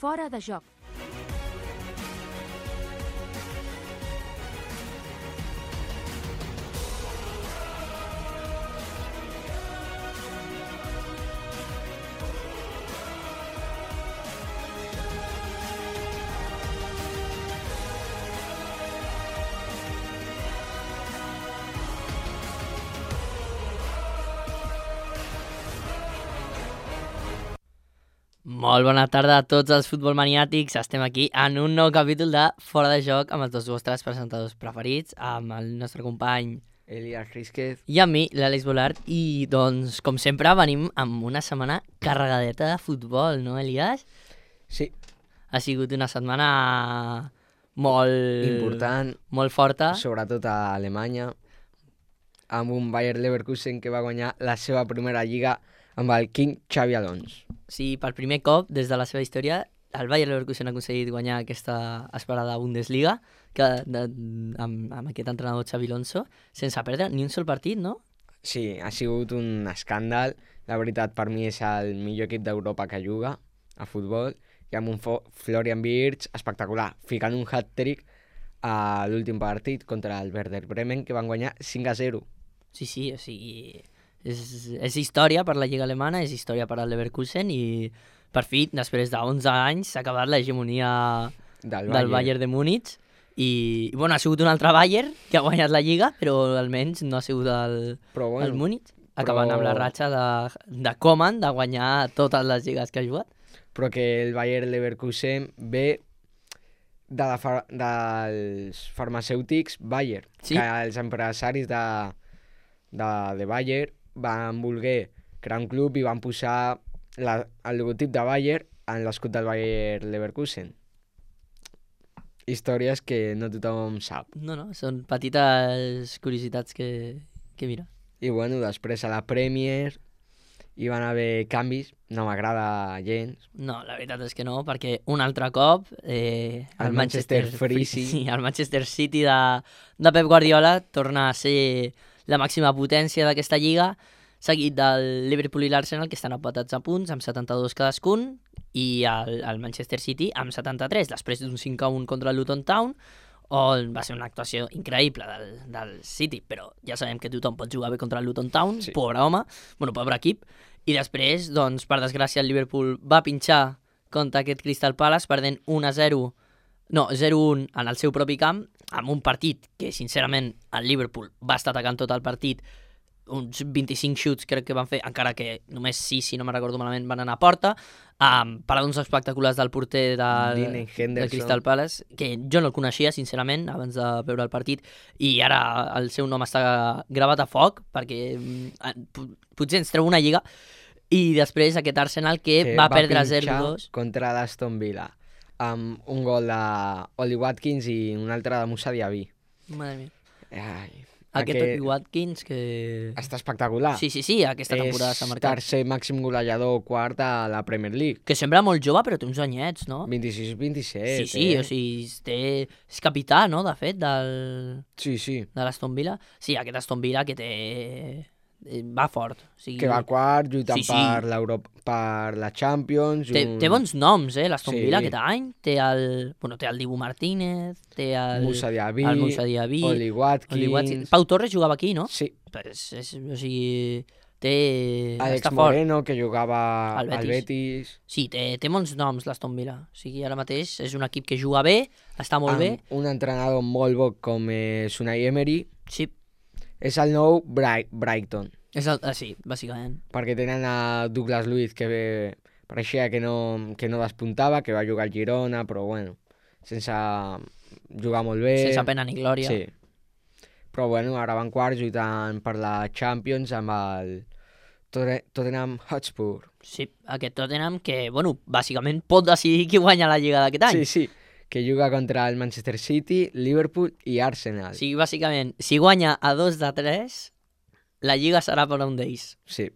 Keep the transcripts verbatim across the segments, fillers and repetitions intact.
Fora de joc. Molt bona tarda a tots els futbolmaniàtics. Estem aquí en un nou capítol de Fora de Joc amb els dos vostres presentadors preferits, amb el nostre company Elias Rísquez i amb mi, l'Àlex Bolart. I doncs, com sempre, venim amb una setmana carregadeta de futbol, no, Elias? Sí. Ha sigut una setmana molt... important, molt forta. sobretot a Alemanya, amb un Bayer Leverkusen que va guanyar la seva primera lliga amb el King Xabi Alonso. Sí, per primer cop des de la seva història, el Bayer Leverkusen ha aconseguit guanyar aquesta esperada Bundesliga que, de, amb, amb aquest entrenador Xabi Alonso, sense perdre ni un sol partit, no? Sí, ha sigut un escàndal. La veritat, per mi és el millor equip d'Europa que juga a futbol, i amb un Fo- Florian Wirtz espectacular, ficant un hat-trick a l'últim partit contra el Werder Bremen, que van guanyar cinc a zero. Sí, sí, o sigui... És, és història per la Lliga Alemana, és història per al Leverkusen i per fi, després d'onze anys, s'ha acabat l'hegemonia Del del Bayern de Múnich i, i bueno, ha sigut un altre Bayern que ha guanyat la Lliga, però almenys no ha sigut el, Però el bueno, Múnich, acabant però- amb la ratxa de, de Koeman de guanyar totes les lligues que ha jugat. però que el Bayer Leverkusen ve de la far dels farmacèutics Bayer, Sí. que els empresaris de, de, de Bayer van voler crear un club i van posar la, el logotip de Bayer en l'escut del Bayer Leverkusen. Històries que no tothom sap. No, no, són petites curiositats que, que mira. I bueno, després a la Premier hi van haver canvis, no m'agrada gens. No, la veritat és que no, perquè un altre cop eh, El Manchester Freezy. sí, el Manchester City de, de Pep Guardiola torna a ser la màxima potència d'aquesta lliga, seguit del Liverpool i l'Arsenal, que estan empatats a punts, amb setanta-dos cadascun, i el, el Manchester City amb setanta-tres, després d'un cinc a un contra el Luton Town, on va ser una actuació increïble del, del City, però ja sabem que tothom pot jugar bé contra el Luton Town, Sí. pobre home, bueno, pobre equip, i després, doncs, per desgràcia, el Liverpool va pinxar contra aquest Crystal Palace, perdent un a zero, no, zero a un en el seu propi camp, amb un partit que, sincerament, el Liverpool va estar atacant tot el partit, uns vint-i-cinc xuts crec que van fer, encara que només sis, si no me'n recordo malament, van anar a porta, amb paradons espectaculars del porter del, Dean del Henderson. Crystal Palace, que jo no el coneixia, sincerament, abans de veure el partit, i ara el seu nom està gravat a foc, perquè mm, po- potser ens treu una lliga, i després aquest Arsenal que, que va, perdre pinxar zero a dos. contra l'Aston Villa, amb un gol d'Oli Watkins i un altre de Moussa Diaby. Madre mia. Ai, Aquest aquest Watkins que... està espectacular. Sí, sí, sí, aquesta temporada s'ha És marcat. tercer màxim golejador quart a la Premier League. Que sembla molt jove, però té uns anyets, no? vint-i-sis vint-i-set. Sí, sí, eh? o sigui, té... és capità, no?, de fet, del... Sí, sí. de l'Aston Villa. Sí, aquest Aston Villa que té... eh, va fort. O sigui, Que va quart, lluitant Sí, sí. per l'Europa, per la Champions. té, un- té bons noms, eh, l'Aston Sí. Villa aquest any. Té el... Bueno, té el Dibu Martínez, té el... Moussa Diaby, el Moussa Diaby, Oli Watkins. Oli Watkins. Pau Torres jugava aquí, no? Sí, Pues, és, o sigui, té... Alex està fort. Moreno, que jugava Al al Betis. Betis. Sí, té, té bons noms l'Aston Villa. O sigui, ara mateix és un equip que juga bé, està molt bé. Amb un entrenador molt bo com és Unai Emery. Sí, És el nou Bright Brighton. és el, ah, sí, bàsicament. Perquè tenen a Douglas Luiz, que bé, pareixia que no, que no despuntava, que va jugar al Girona, però bueno, sense jugar molt bé. Sense pena ni glòria. Sí. Però bueno, ara van quarts lluitant per la Champions amb el Totte- Tottenham Hotspur. Sí, aquest Tottenham que, bueno, bàsicament pot decidir qui guanya la Lliga d'aquest any. Sí, sí, que juga contra el Manchester City, Liverpool i Arsenal. O sigui, bàsicament, si guanya a dos de tres, la Lliga serà per a un d'ells. Sí.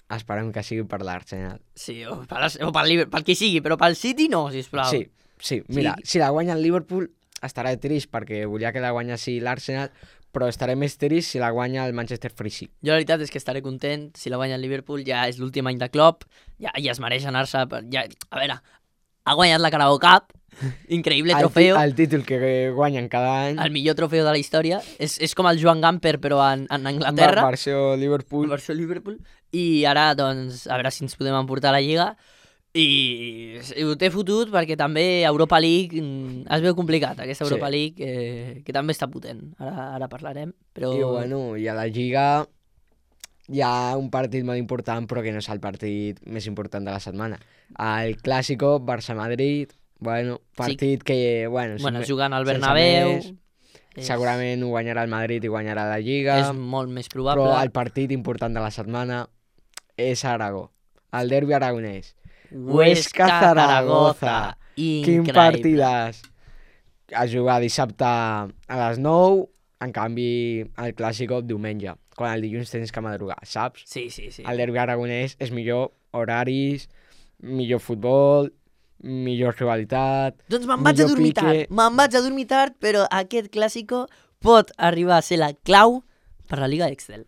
Esperem que sigui per l'Arsenal. Sí, o per, o per, Liverpool, per qui sigui, però pel City no, sisplau. Sí, sí. Mira, Sí. si la guanya el Liverpool estarà trist perquè volia que la guanyessi l'Arsenal, però estaré més trist si la guanya el Manchester Freezy. Jo la veritat és que estaré content si la guanya el Liverpool, ja és l'últim any de Klopp, ja, ja es mereix anar-se, per- ja, a veure, ha guanyat la Carabao Cup, increïble El, ti- trofeo, el títol que guanyen cada any. el millor trofeo de la història. És, és com el Joan Gamper, però en, en Anglaterra. Va, versió Liverpool. Versió Liverpool. I ara, doncs, a veure si ens podem emportar a la Lliga. I ho té fotut perquè també Europa League mm, es veu complicat, aquesta Europa Sí. League, eh, que també està potent. Ara, ara parlarem, però... I bueno, i a la Lliga hi ha un partit molt important, però que no és el partit més important de la setmana. El Clàsico, Barça-Madrid, bueno, partit sí. que, bueno... bueno, sense- jugant al sense Bernabéu... més, segurament ho guanyarà el Madrid i guanyarà la Lliga, És molt més probable. però el partit important de la setmana és a Aragó, el derbi aragonès. Huesca-Zaragoza. Quin Increïble. partidàs! A jugar dissabte a les nou, en canvi el Clàsico diumenge, quan el dilluns tens que madrugar, saps? Sí, sí, sí. El derbi aragonès és millor horaris, millor futbol, millor rivalitat... Doncs me'n vaig a millor dormir pique. tard. Me'n vaig a dormir tard, però aquest clàssico pot arribar a ser la clau per la Liga Excel.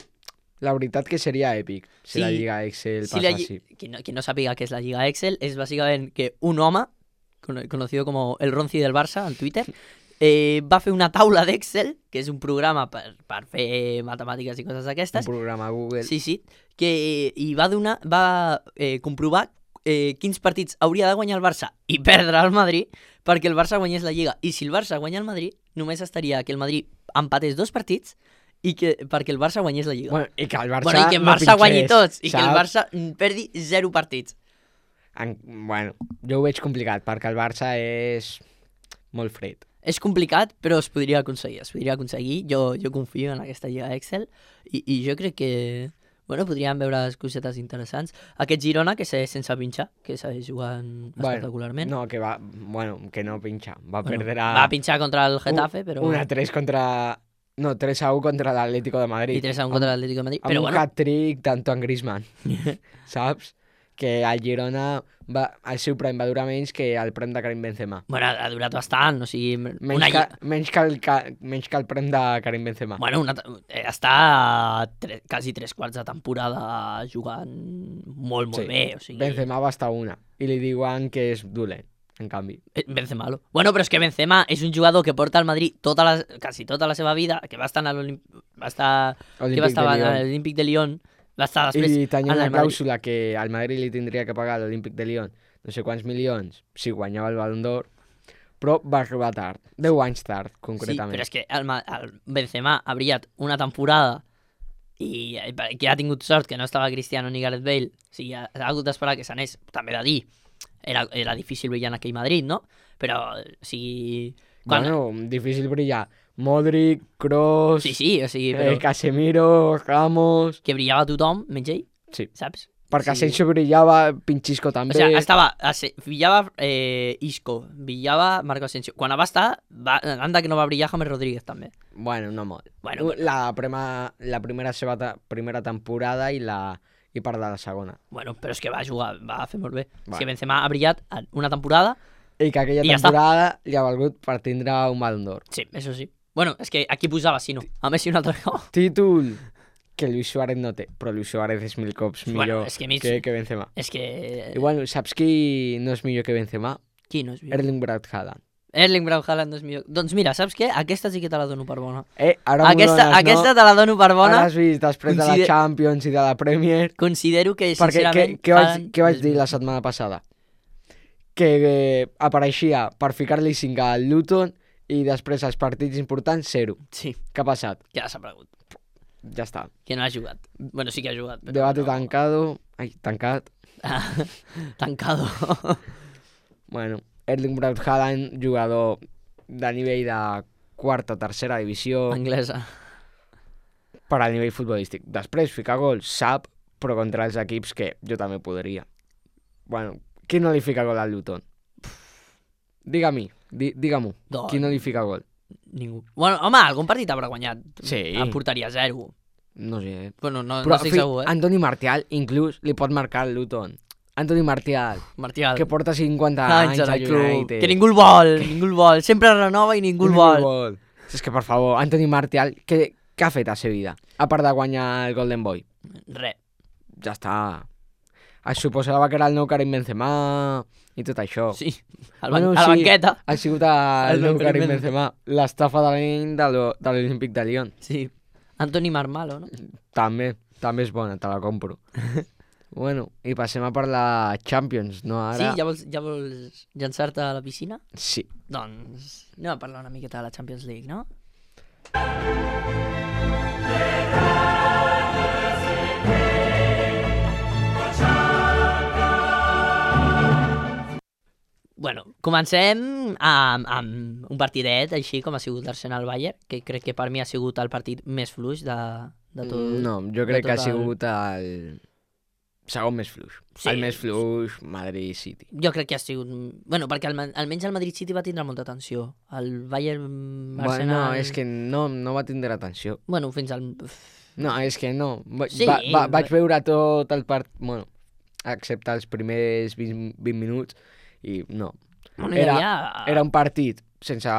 La veritat que seria èpic si Sí. la Lliga Excel Si la, passassi. lli- qui, no, qui no sàpiga què és la Lliga Excel, és bàsicament que un home, cono- conocido como el Ronci del Barça en Twitter, eh, va fer una taula d'Excel, que és un programa per, per fer matemàtiques i coses Un d'aquestes, programa Google. sí, sí, que i va donar, va eh, comprovar eh, quins partits hauria de guanyar el Barça i perdre el Madrid perquè el Barça guanyés la Lliga. I si el Barça guanya el Madrid, només estaria que el Madrid empatés dos partits i que perquè el Barça guanyés la Lliga. Bueno, i que el Barça, Bueno, i que el no Barça guanyi pinxés, tots i que el saps? Barça mm, perdi zero partits. En, bueno, jo ho veig complicat, perquè el Barça és molt fred. És complicat, però es podria aconseguir, es podria aconseguir. Jo, jo confio en aquesta Lliga Excel i, i jo crec que, bueno, podríem veure cosetes interessants. Aquest Girona, que segueix sense pinxar, que segueix jugant espectacularment. No, que va, bueno, que no pinxa. Va Bueno, perdre a... va pinxar contra el Getafe, però... Una tres contra... No, tres a u contra l'Atlético de Madrid. I tres a un contra l'Atlético de Madrid. Amb Però un bueno, hat-trick d'Antoine Griezmann, saps? Que el Girona, va, el seu prime va durar menys que el prem de Karim Benzema. bueno, ha durat bastant, o sigui... Menys, una... que, menys, que el, ca- menys que el prem de Karim Benzema. Bueno, una... eh, està tre... quasi tres quarts de temporada jugant molt, molt Sí. bé, o sigui... Benzema va estar una. I li diuen que és dolent, en canvi. Eh, Benzema-lo. Bueno, però és que Benzema és un jugador que porta al Madrid tota la, quasi tota la seva vida, que va estar a l'Olímpic... Va estar... que Olímpic va estar de a Lyon. l'Olímpic de Lyon, va estar després I tenia en una el Madrid. clàusula que al Madrid li tindria que pagar a l'Olímpic de Lyon no sé quants milions si guanyava el Ballon d'Or, però va arribar tard, deu anys tard, Sí, concretament. però és que el, Ma- el Benzema ha brillat una temporada i eh, que ha tingut sort que no estava Cristiano ni Gareth Bale, o sigui, ha, ha hagut d'esperar que s'anés, també de dir, era, era difícil brillar en aquell Madrid, no? Però, o sigui... Quan... Bueno, difícil brillar. Modric, Kroos, Sí, sí, o sigui, però eh, Casemiro, Ramos... que brillava tothom, menys ell, Sí, saps? perquè Sí. Asensio brillava, Pinchisco O també... sigui, estava, ase- brillava eh, Isco, brillava Marco Asensio. Quan va estar, va, anda que no va brillar James Rodríguez també. Bueno, no molt. Bueno, la, prima, la primera seva ta, primera temporada i la i part de la segona. Bueno, però és que va jugar, va fer molt bé. Vale. És que Benzema ha brillat en una temporada. I que aquella I ja està. temporada li ha valgut per tindre un Ballon d'Or. Sí, això sí. Bueno, és que aquí posava si no. A Messi un altre cop. Títol que Luis Suárez no té, però Luis Suárez és mil cops Bueno, millor és que mig- que, que Benzema. És que... I bueno, saps qui no és millor que Benzema? Qui no és millor? Erling Braut Haaland. Erling Braut Haaland no és millor. Doncs mira, saps què? Aquesta sí que te la dono per bona. Eh, ara m'ho Aquesta, dones, aquesta no? te la dono per bona. Ara has vist després de la Consider- Champions i de la Premier. Considero que, Perquè què, sincerament... què, vaig, Haaland què vaig és dir millor. la setmana passada? Que eh, apareixia per ficar-li cinc al Luton i després als partits importants, zero. Sí, Què ha passat? que ja s'ha aparegut. Ja està. Que no ha jugat. Bueno, sí que ha jugat. Però Debate no... tancado. Ai, tancat. Ah, tancado. Bueno, Erling Braut Haaland, jugador de nivell de quarta o tercera divisió Anglesa. per al nivell futbolístic. Després, ficar gols, sap, però contra els equips que jo també podria. Bueno, qui no li fica gol al Luton? Digue-m'hi, di, digue-m'ho. Doncs- Qui no li fica gol? Ningú. Bueno, home, algun partit haurà guanyat. Sí. A porteria zero. No sé. Bueno, no, Però no estic fi, segur, eh? Antoni Martial inclús li pot marcar al Luton. Antoni Martial, Martial. que porta cinquanta Anys anys en a el club. United. Que ningú el vol, ningú el vol. Sempre renova i ningú el vol. vol. És que, per favor, Antoni Martial, què, què ha fet a la vida? A part de guanyar el Golden Boy. Re. Ja està. Es suposava que era el nou Karim Benzema i tot això. Sí, al ban Bueno, a la sí, banqueta. Ha sigut el El nou nou Karim Karim Benzema, l'estafa de l'any de l'O- de l'Olímpic de Lyon. Sí, Anthony Marmalo, no? També, també és bona, te la compro. Bueno, i passem a per la Champions, no ara? Sí, ja vols, ja vols llançar-te a la piscina? Sí. Doncs anem a parlar una miqueta de la Champions League, no? Bueno, comencem amb, amb un partidet així com ha sigut l'Arsenal-Bayern, que crec que per mi ha sigut el partit més fluix de, de tot. No, jo crec de que ha tot el- sigut el segon més fluix. Sí. El més fluix, Madrid City. Jo crec que ha sigut... Bueno, perquè el, almenys el Madrid City va tindre molta tensió. El Bayern Arsenal... Bueno, és que no, no va tindre atenció. Bueno, fins al... No, és que no. Va, Sí, va, va, vaig però- veure tot el part... Bueno, excepte els primers vint, vint minuts, i no. Bueno, hi Era, havia... era un partit sense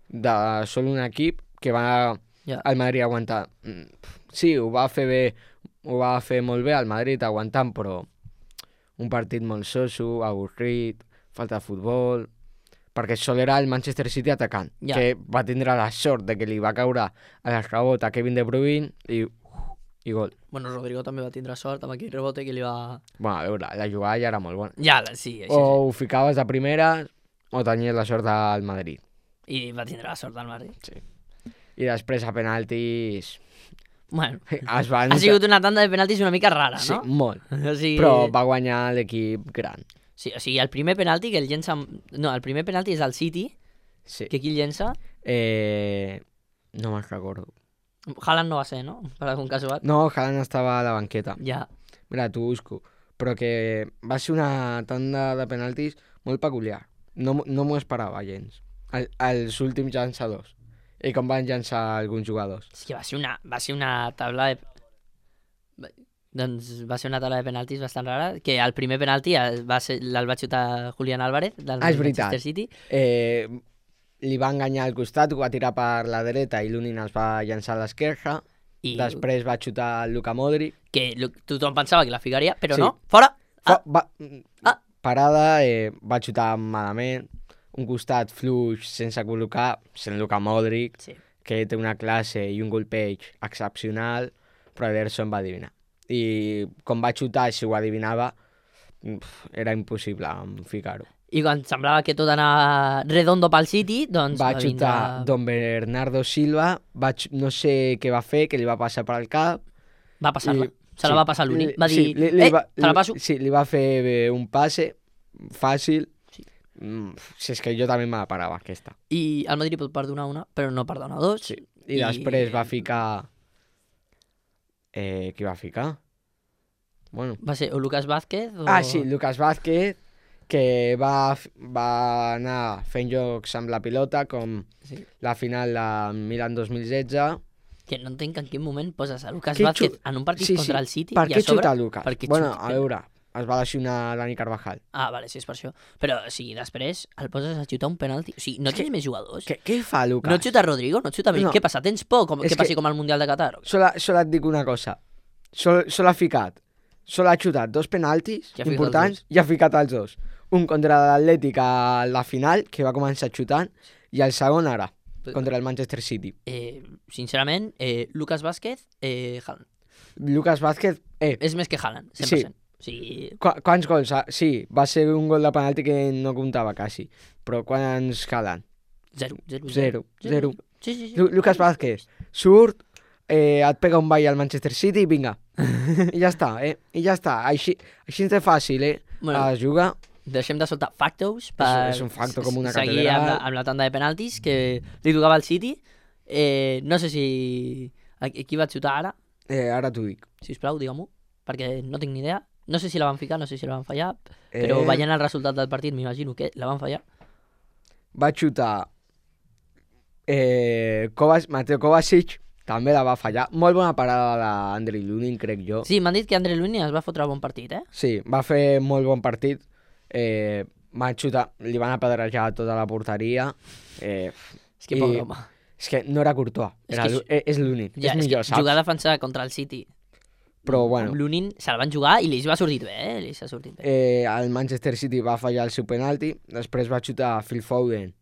de sol un equip que va Ja. el Madrid aguantar. Mm, Sí, ho va fer bé, ho va fer molt bé el Madrid aguantant, però un partit molt soso, avorrit, falta de futbol, perquè sol era el Manchester City atacant, Ja. que va tindre la sort de que li va caure a l'escabot a Kevin De Bruyne i, i gol. Bueno, Rodrigo també va tindre sort amb aquell rebote que li va... Bueno, a veure, la jugada ja era molt bona. Ja, la- sí, així, O ho ficaves de primera o tenies la sort del Madrid. sí. I va tindre la sort del Madrid. Sí. I després a penaltis Bueno, es va ha sigut una tanda de penaltis una mica rara, Sí, no? molt. O sigui, Però va guanyar l'equip gran. sí, o sigui, el primer penalti que el llença... No, el primer penalti és el City, Sí. que qui el llença? Eh... No me'n recordo. Haaland no va ser, no? Per algun casual. No, Haaland estava a la banqueta. Ja. Mira, t'ho busco. Però que va ser una tanda de penaltis molt peculiar. No, m- no m'ho esperava gens. El, els últims llançadors. I com van llançar alguns jugadors. És que va ser una, va ser una taula de... va- Doncs va ser una taula de penaltis bastant rara, que el primer penalti el va, ser, el va xutar Julián Álvarez, del Ah, és veritat. Manchester City. Eh, li va enganyar al costat, ho va tirar per la dreta i l'Unin es va llançar a l'esquerra. I Després va xutar el Luka Modric. que lo- tothom pensava que la ficaria, però Sí. no, fora! Fa, Ah, va, Ah. Parada, eh, va xutar malament, un costat fluix sense col·locar, sent Luka Modric, sí. que té una classe i un golpeig excepcional, però Ederson va adivinar. I com va xutar, si ho adivinava, pf, era impossible ficar-ho. I quan semblava que tot anava redondo pel City, doncs Va va xutar vindre... Don Bernardo Silva, va xu- no sé què va fer, que li va passar per al cap. Va passar-la. i- Se la sí, va passar l'únic. li- Va dir, sí, li, li eh, va, te la passo. Li, sí, li va fer bé un passe fàcil. Sí. Mm, si és que jo també me la parava, aquesta. I el Madrid pot perdonar una, però no perdona dos. Sí. I, I- després va ficar... Eh, qui va ficar? Bueno. Va ser o Lucas Vázquez o... Ah, sí, Lucas Vázquez, que va, f- va anar fent jocs amb la pilota, com Sí. la final de Milan dos mil setze. Que no entenc en quin moment poses a Lucas Què Vázquez xut- en un partit Sí, sí. contra el City Per i què a sobre... xuta Lucas? per què Bueno, xuta? a veure, es va lesionar Dani Carvajal. Ah, vale, sí, és per això. Però, o sigui, després el poses a xutar un penalti. O sigui, no tens més jugadors. Què, què fa Lucas? No xuta Rodrigo, no xuta... No. Què passa? Tens por com, És que passi que- com al Mundial de Qatar? Sol, sol et dic una cosa. Sol, sol ha ficat, sol ha xutat dos penaltis I ha ficat importants els i ha ficat els dos. Un contra l'Atlètic a la final, que va començar xutant, i el segon ara, contra el Manchester City. Eh, sincerament, eh, Lucas Vázquez, eh, Haaland. Lucas Vázquez, eh, És més que Haaland, cent per cent. O sigui, qu quants gols? ha- Sí, va ser un gol de penalti que no comptava quasi, però quants calen? zero. Zero. Zero, zero. Sí, sí, sí. Lu Lucas Vázquez surt, eh, et pega un ball al Manchester City i vinga. I ja està, eh? I ja està. Així, així de fàcil, eh? Bueno. Es juga. Deixem de soltar factos per és un facto com una seguir catedral. amb la, amb la tanda de penaltis que li tocava al City. Eh, no sé si... A qui va xutar ara? Eh, ara t'ho dic. Si us plau, digue-m'ho, perquè no tinc ni idea. No sé si la van ficar, no sé si la van fallar, però Eh, veient el resultat del partit m'imagino que la van fallar. Va xutar eh, Kovac, Mateo Kovacic, també la va fallar. Molt bona parada d'Andrei Lunin, crec jo. Sí, m'han dit que André Lunin es va fotre bon partit, eh? Sí, va fer molt bon partit. Eh, va xutar, li van apedrejar tota la porteria. Eh, És que I- pobre home. és que no era Courtois, És era, que Lu- eh, és l'únic. Ja, és és millor, que saps? jugar a defensar contra el City Però, bueno, Amb l'Unin se'l van jugar i li va sortir bé, eh? Li s'ha sortit bé. eh, el Manchester City va fallar el seu penalti, després va xutar Phil Foden,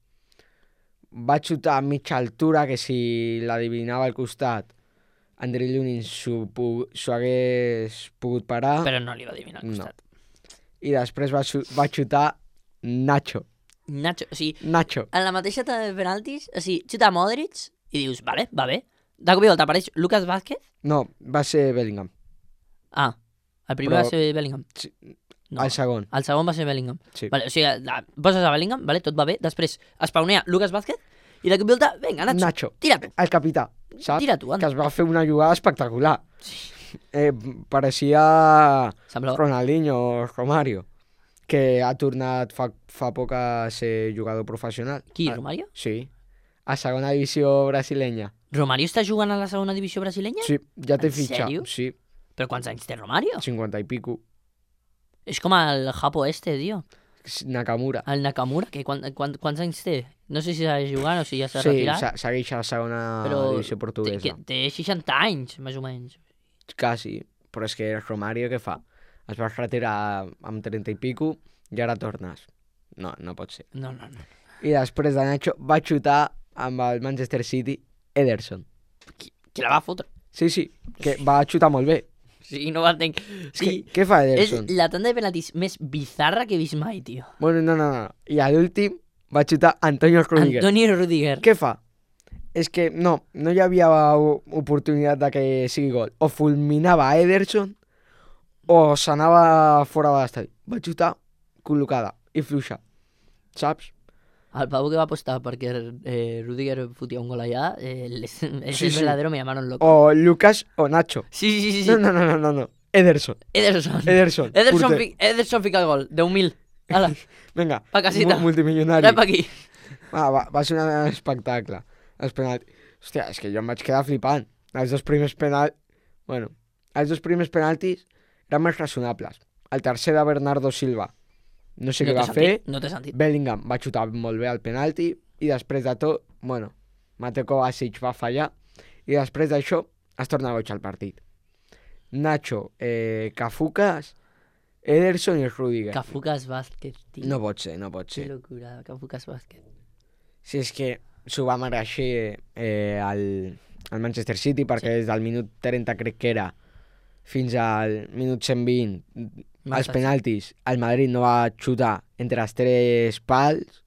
va xutar a mitja altura, que si l'adivinava al costat, Andrei Lunin s'ho pu- s'ho hagués pogut parar, Però no li va adivinar al no. costat. i després va, xu- va xutar Nacho. Nacho, o sigui, Nacho. en la mateixa tanda de penaltis, o sigui, xuta Modric i dius, vale, va bé. De cop i volta apareix Lucas Vázquez. No, va ser Bellingham. Ah, el primer Però- va ser Bellingham. Sí, No, el segon. el segon va ser Bellingham. Sí. Vale, o sigui, la, poses a Bellingham, vale, tot va bé. Després espaunea Lucas Vázquez i de cop i volta, vinga, Nacho, Nacho, tira tu, el capità, saps? tira tu, Que anda. es va fer una jugada espectacular. Eh, pareixia Semblava... Ronaldinho o Romario, que ha tornat fa, fa poc a ser jugador professional. Qui, Ah, Romario? Sí, a segona divisió brasilenya. Romario està jugant a la segona divisió brasilenya? Sí, ja té En fitxa. sèrio? Sí, Però quants anys té Romario? cinquanta i pico. És com el Japo este, tio. Nakamura. El Nakamura, que quan, quan, quants anys té? No sé si s'ha jugant o si ja s'ha Sí, retirat. se- segueix a la segona Però divisió té, portuguesa. que, té seixanta anys, més o menys. Quasi, però és que Romario què fa? Es va retirar amb trenta i pico i ara tornes. No, no pot ser. No, no, no. I després de Nacho va xutar amb el Manchester City Ederson. Qui, qui la va fotre? Sí, sí, que va xutar molt bé. Sí, no ho entenc. És Sí, que, què fa és Ederson? la tanda de penaltis més bizarra que he vist mai, tio. Bueno, no, no, no. I a l'últim va xutar Antonio Rüdiger. Antoni Rudiger. Què fa? És que no, no hi havia o- oportunitat de que sigui gol. O fulminava a Ederson o s'anava fora de l'estadi. Va xutar col·locada i fluixa. Saps? El pavo que va apostar perquè eh, Rudiger fotia un gol allà, eh, és, és Sí, el sí. verdadero, me llamaron loco. O Lucas o Nacho. Sí, sí, sí, sí. No, no, no, no, no, no. Ederson. Ederson. Ederson. Ederson, porter. fi, Ederson fica el gol, deu mil. Hala, Vinga, pa casita. mu- multimilionari. rep aquí. Ah, va, va ser un espectacle. Els penaltis. Hòstia, és que jo em vaig quedar flipant. Els dos primers penaltis... Bueno, els dos primers penaltis eren més raonables. El tercer de Bernardo Silva. No sé no què té va fer. sentit, no té sentit. Bellingham va xutar molt bé el penalti i després de tot, bueno, Mateo Kovacic va fallar i després d'això es torna boig al partit. Nacho, eh, Cafucas, Ederson i Rüdiger. Cafucas Vázquez, tio. No pot ser, no pot Que ser. locura, Cafucas Vázquez. Si és que s'ho va mereixer eh, el, el Manchester City perquè sí. des del minut trenta crec que era fins al minut cent vint els penaltis el Madrid no va xutar entre els tres pals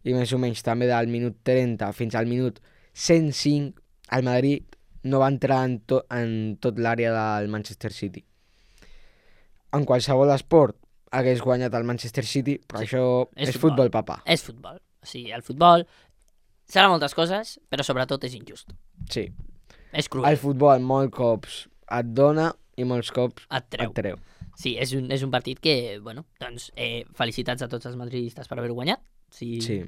i més o menys també del minut trenta fins al minut cent cinc el Madrid no va entrar en, to, en tot l'àrea del Manchester City. En qualsevol esport hagués guanyat el Manchester City, però Sí, això és és, futbol. futbol, papa. És futbol. O sigui, el futbol serà moltes coses, però sobretot és injust. Sí. És cruel. El futbol molts cops et dona i molts cops Et treu. et treu. Sí, és un, és un partit que, bueno, doncs, eh, felicitats a tots els madridistes per haver guanyat. Sí. Sí.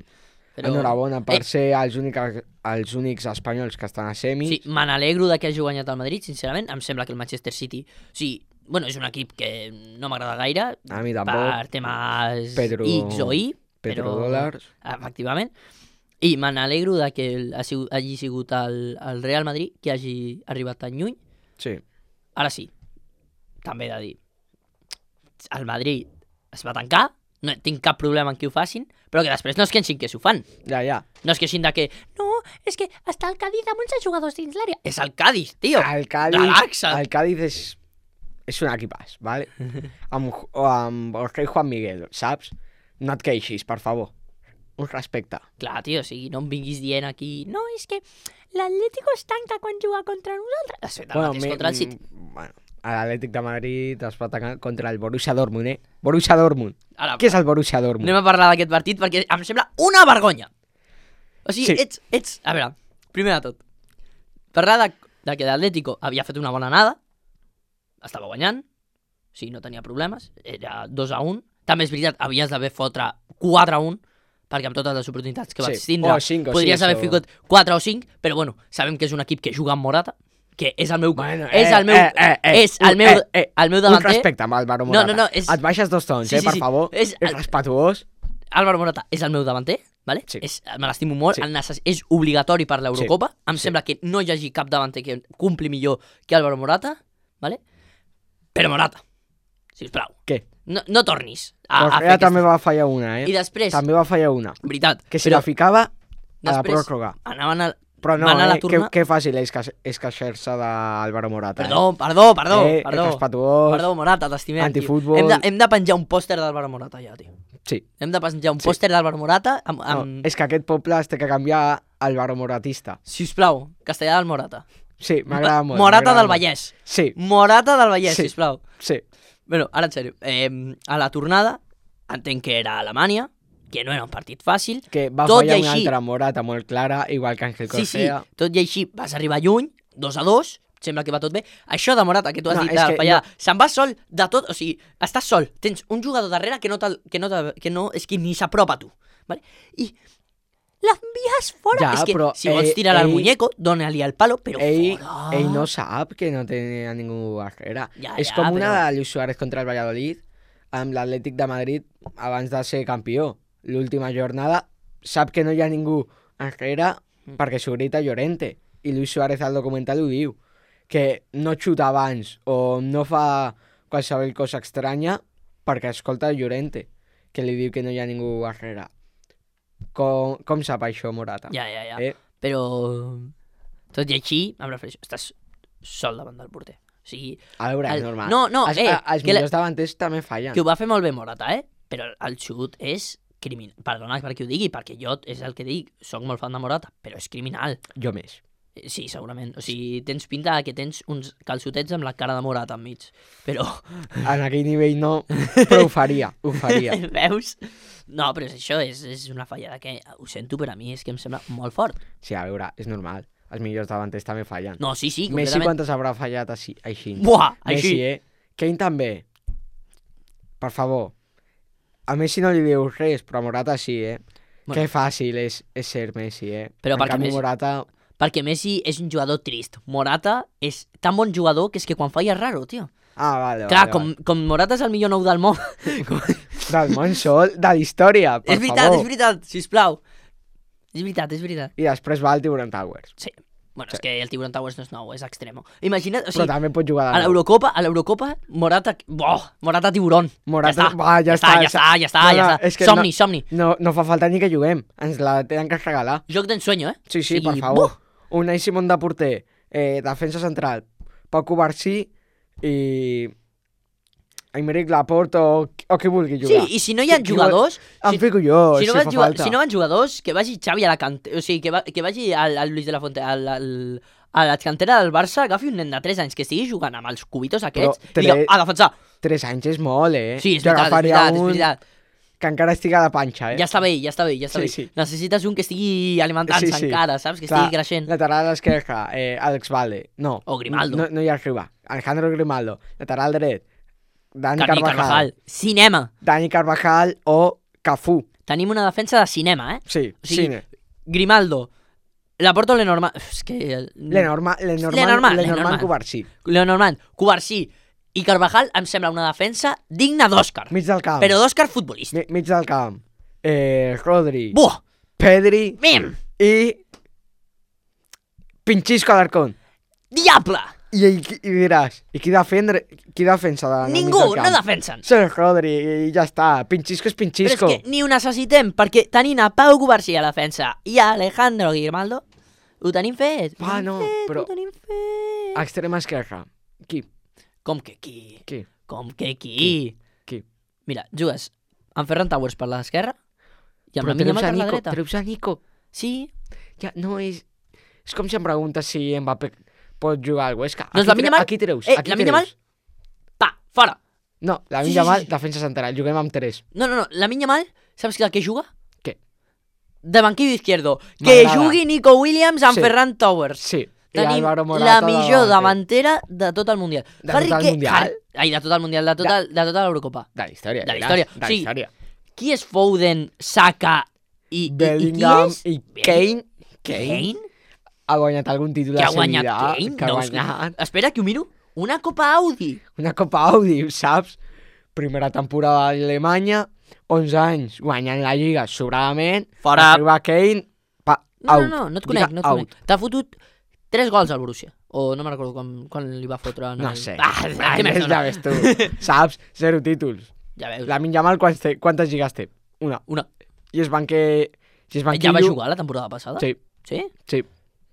Però... Enhorabona per Eh, ser els únics, els únics espanyols que estan a semis. Sí, me n'alegro de que hagi guanyat el Madrid, sincerament. Em sembla que el Manchester City... O sigui, bueno, és un equip que no m'agrada gaire, A mi tampoc. per temes Pedro- X o Y, però... Petrodòlars. Efectivament. I me n'alegro de que el- ha sigut, hagi sigut el, el Real Madrid que hagi arribat tan lluny. Sí. Ara sí, també he de dir, el Madrid es va tancar, no tinc cap problema en que ho facin, però que després no es queixin que s'ho fan. Ja, ja. No es queixin de que, no, és que està el Cádiz amb onze jugadors dins l'àrea. És el Cádiz, tio. El Cádiz, Relaxa't. el Cádiz és, és un equipàs, ¿vale? amb, o amb el rei Juan Miguel, saps? No et queixis, per favor. Un respecte. Clar, tio, o sigui, no em vinguis dient aquí, no, és que l'Atlético es tanca quan juga contra nosaltres. Ha fet el mateix mi- contra el City. mm, bueno, l'Atlètic de Madrid es va atacar contra el Borussia Dortmund, eh? Borussia Dortmund. Ara, Què és el Borussia Dortmund? anem a parlar d'aquest partit perquè em sembla una vergonya. O sigui, Sí. ets, ets... A veure, primer de tot, parlar de, de que l'Atlético havia fet una bona anada, estava guanyant, o sigui, no tenia problemes, era dos a un. També és veritat, havies d'haver fotre quatre a un, perquè amb totes les oportunitats que Sí, vaig tindre, o cinc o podries sis, haver o- ficat quatre o cinc, però bueno, sabem que és un equip que juga amb Morata, que és el meu... Bueno, és eh, el meu... eh, eh, eh, és el un- meu, eh, eh, el meu Un davanter... respecte amb Álvaro No, Morata. no, no, és- Et baixes dos tons, Sí, eh, sí, per sí. favor. És És el- respetuós. Álvaro Morata és el meu davanter, vale? Sí. És, me l'estimo molt, Sí. el necess... és obligatori per l'Eurocopa. Em Sí. sembla que no hi hagi cap davanter que cumpli millor que Álvaro Morata, vale? Però Morata, sisplau, Què? no, no tornis a, a fer Correa també aquestes... va fallar una, eh? I després, També va fallar una. veritat, Que si però la ficava a la després pròrroga. anaven a... Però no, van a la eh? Que, torna- que fàcil és, que, és queixar-se d'Álvaro Morata. Perdó, perdó, perdó, eh? perdó. Eh, respetuós. Perdó, Morata, t'estimem, tio. Antifútbol. Hem de, hem de penjar un pòster d'Álvaro Morata ja, tio. Sí. Hem de penjar un Sí. pòster d'Álvaro Morata amb... amb... No, és que aquest poble es té que canviar a Álvaro Moratista. Sisplau, castellà del Morata. Sí, m'agrada molt. Morata m'agrada del molt. Vallès. Sí, Morata del Vallès, Sí. sisplau. sí. Bueno, ara en sèrio, eh, a la tornada, entenc que era a Alemanya, que no era un partit fàcil. Que va Tot i fallar una així- altra Morata molt clara, igual que Ángel Sí, sí, Correa. tot i així vas arribar lluny, dos a dos, sembla que va tot bé. Això de Morata, que tu has No, dit, és de que fallar, no- se'n va sol de tot, o sigui, estàs sol, tens un jugador darrere que no, te'l- que no, te- que no és que ni s'apropa a tu, vale? I l'envies fora. Ja, és que però, si vols eh, tirar al ell- muñeco, dona-li al palo, però Ell, fora. ell no sap que no té a ningú darrere. Ja, és ja, com una però- de Luis Suárez contra el Valladolid amb l'Atlètic de Madrid abans de ser campió. L'última jornada sap que no hi ha ningú darrere Mm. perquè s'ho grita Llorente. I Luis Suárez al documental ho diu. Que no xuta abans o no fa qualsevol cosa estranya perquè escolta Llorente, que li diu que no hi ha ningú darrere. Com, com sap això Morata? Ja, ja, ja. Eh? Però, tot i així, em refereixo, estàs sol davant del porter. O sigui, A veure, El- és normal. no, no, els, eh, a- els que la- millors davanters també fallen. que ho va fer molt bé Morata, eh? Però el xut és criminal. Perdona per qui ho digui, perquè jo és el que dic, sóc molt fan de Morata, però és criminal. Jo més. Eh, Sí, segurament. O sigui, tens pinta de que tens uns calçotets amb la cara de Morata enmig. Però, En aquell nivell no, però ho faria, ho faria. veus? No, però és això, és, és una fallada que, ho sento, però a mi és que em sembla molt fort. Sí, a veure, és normal. Els millors davanters també fallen. No, sí, sí, Messi completament. quantes haurà fallat així? així? Buah, Messi, així. eh? Kane també. Per favor. A Messi no li dius res, però a Morata sí, eh? Bueno. Que fàcil és, és ser Messi, eh? Però en perquè canvi Messi- Morata... Perquè Messi és un jugador trist. Morata és tan bon jugador que és que quan falla és raro, tio. Ah, vale, Clar, vale, com, com Morata és el millor nou del món. com... vale. Del món sol, de la història, per és veritat, favor. és veritat, sisplau. És veritat, és veritat. I després va al Tiburon Towers. Sí. Bueno, Sí. és que el Tiburon Towers no és nou, és extremo. Imagina't, o Però sigui, també pot jugar a de nou. l'Eurocopa, a l'Eurocopa, Morata... Boh, Morata Tiburón. Morata... Ja està, Va, ja, ja està, ja està, ja està, No, ja no, està. és que Somni, no, somni. No, no fa falta ni que juguem. Ens la tenen que regalar. Joc d'ensueño, eh? Sí, sí, O sigui, per favor. buh! Unai Simón de porter, eh, defensa central, Pau Covarsí i... Aymeric Laporte o, o qui vulgui Sí, jugar. i si no hi ha Qui- qui jugadors... Em si- fico jo, si si, no, fa van jugar, falta. si no van jugadors, que vagi Xavi a la cantera, o sigui, que, va, que vagi al, al Luis de la Fonte, al, al, a la cantera del Barça, agafi un nen de tres anys que estigui jugant amb els cubitos aquests Però i diga, tre- a defensar. Tres anys és molt, eh? Sí, és Jo veritat, és agafaria veritat, és un veritat. que encara estigui a la panxa, eh? Ja està bé, ja està bé, ja està Sí, bé. sí. Necessites un que estigui alimentant-se Sí, sí. encara, saps? Que Clar, estigui creixent. Lateral esquerra, eh, Alex Valde. No. O Grimaldo. No, no hi arriba. Alejandro Grimaldo. Lateral dret. Dani Carni Carvajal. Carvajal. Cinema. Dani Carvajal o Cafú. Tenim una defensa de cinema, eh? Sí, O sigui, cine. Grimaldo. Laporto Lenormand... És que... Lenormand, Lenormand, Lenormand, Lenormand Lenormand. Covarsí. Lenormand, Covarsí i Carvajal em sembla una defensa digna d'Òscar. Mig del camp. Però d'Òscar futbolístic. Mi- mig del camp. Eh, Rodri. Buah! Pedri. Mim! I... Pinchisco Alarcón. Diable! I, i, i diràs, i qui, defendre, qui defensa de, del mig Ningú, del no camp? defensen. Sí, Rodri, i ja està. Pinchisco és Però Pinchisco. és que ni ho necessitem, perquè tenint a Pau Covarsí a la defensa i a Alejandro Grimaldo, ho tenim fet. Ho Ah, tenim no, fet, però- Ho tenim fet. Extrema esquerra. Qui? Com que qui? Qui? Com que qui? Qui? Mira, jugues amb Ferran Towers per l'esquerra i amb Però la Mina treus a per la Nico, dreta. treus a Nico. Sí, Ja, no és... És com si em preguntes si Mbappé pot jugar al Huesca. Doncs Aquí la tre- Yamal- Aquí treus, Eh, aquí la treus. Yamal- pa, fora. No, la Sí, sí, sí, Yamal, sí, sí. defensa central. Juguem amb tres. No, no, no, la Minya Mal, saps que què juga? Què? De banquillo izquierdo. Que M'agrada. jugui Nico Williams amb Sí. Ferran Towers. Sí. I Tenim Álvaro Morata la de millor davanter. davantera de tot el Mundial. De Harry tot el Kane- Mundial? Har- Ai, de tot el Mundial, de tota, de tota l'Eurocopa. De la història. De la diràs, història. De la Sí. història. Qui és Foden, Saka i, i, i Bellingham qui és? i Kane. Kane. Kane? Ha guanyat algun títol Que de ha guanyat seguida. Kane? Que ha No, és que- guanyat Espera, que ho miro. Una Copa Audi. una Copa Audi, saps? Primera temporada a Alemanya, onze anys guanyant la Lliga sobradament. Fora. Arriba Kane, pa, No, out. no, no, no et Lliga conec, no et out. conec. T'ha fotut tres gols al Borussia. O no me'n recordo quan, quan li va fotre... En No el... sé. Ah, Ah, què més ja dona? ves tu. Saps? Zero títols. Ja veus. Lamine Yamal, quants té? Quantes lligues té? Una. Una. I es banque... Si es banquillo... Ja va jugar la temporada passada? Sí, Sí? sí.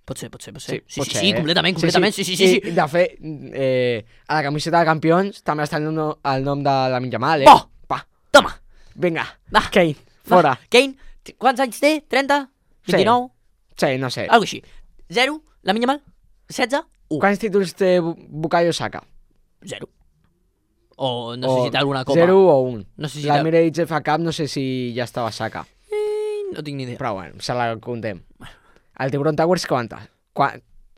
Pot ser, pot ser, pot ser. Sí, Sí, pot sí, ser, sí, eh? completament, completament, sí, sí, sí. sí. I, de fet, eh, a la camiseta de campions també està el nom, el nom de Lamine Yamal, eh? Bo! Pa, Toma! vinga, Va. Kane, fora. Va, Kane, t- quants anys té? trenta? Sí. vint-i-nou? Sí, no sé. Algo així. zero? Lamine Yamal? setze? un. Quants títols té Bu- Bukayo Saka? zero. O no sé si té alguna copa. Zero o un. No sé si La té... Emirates F A Cup no sé si ja estava Saka. Eh, no tinc ni idea. Però bueno, se la contem. El Tiburon Towers quanta? Qua...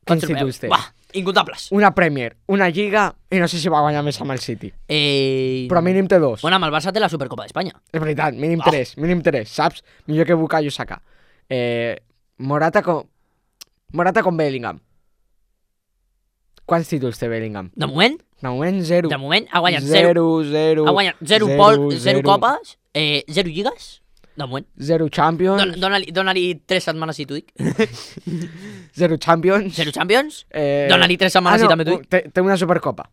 Quants Quins títols té? Buah, incontables. Una Premier, una Lliga i no sé si va guanyar més amb el City. Eh... Però mínim té dos. Bueno, amb el Barça té la Supercopa d'Espanya. És veritat, mínim Ah. tres, mínim tres, saps? Millor que Bukayo Saka. Eh, Morata con... Morata con Bellingham. Quants títols té Bellingham? De moment, De moment, zero. de moment ha guanyat zero. Zero, zero. Ha guanyat zero, zero, pol, zero, zero. copes, eh, zero lligues. De moment. Zero Champions. Don- Dona-li dona tres setmanes i t'ho dic. Zero Champions. Zero Champions. Eh... Dona-li tres setmanes ah, no, i també t'ho dic. Té, té una Supercopa.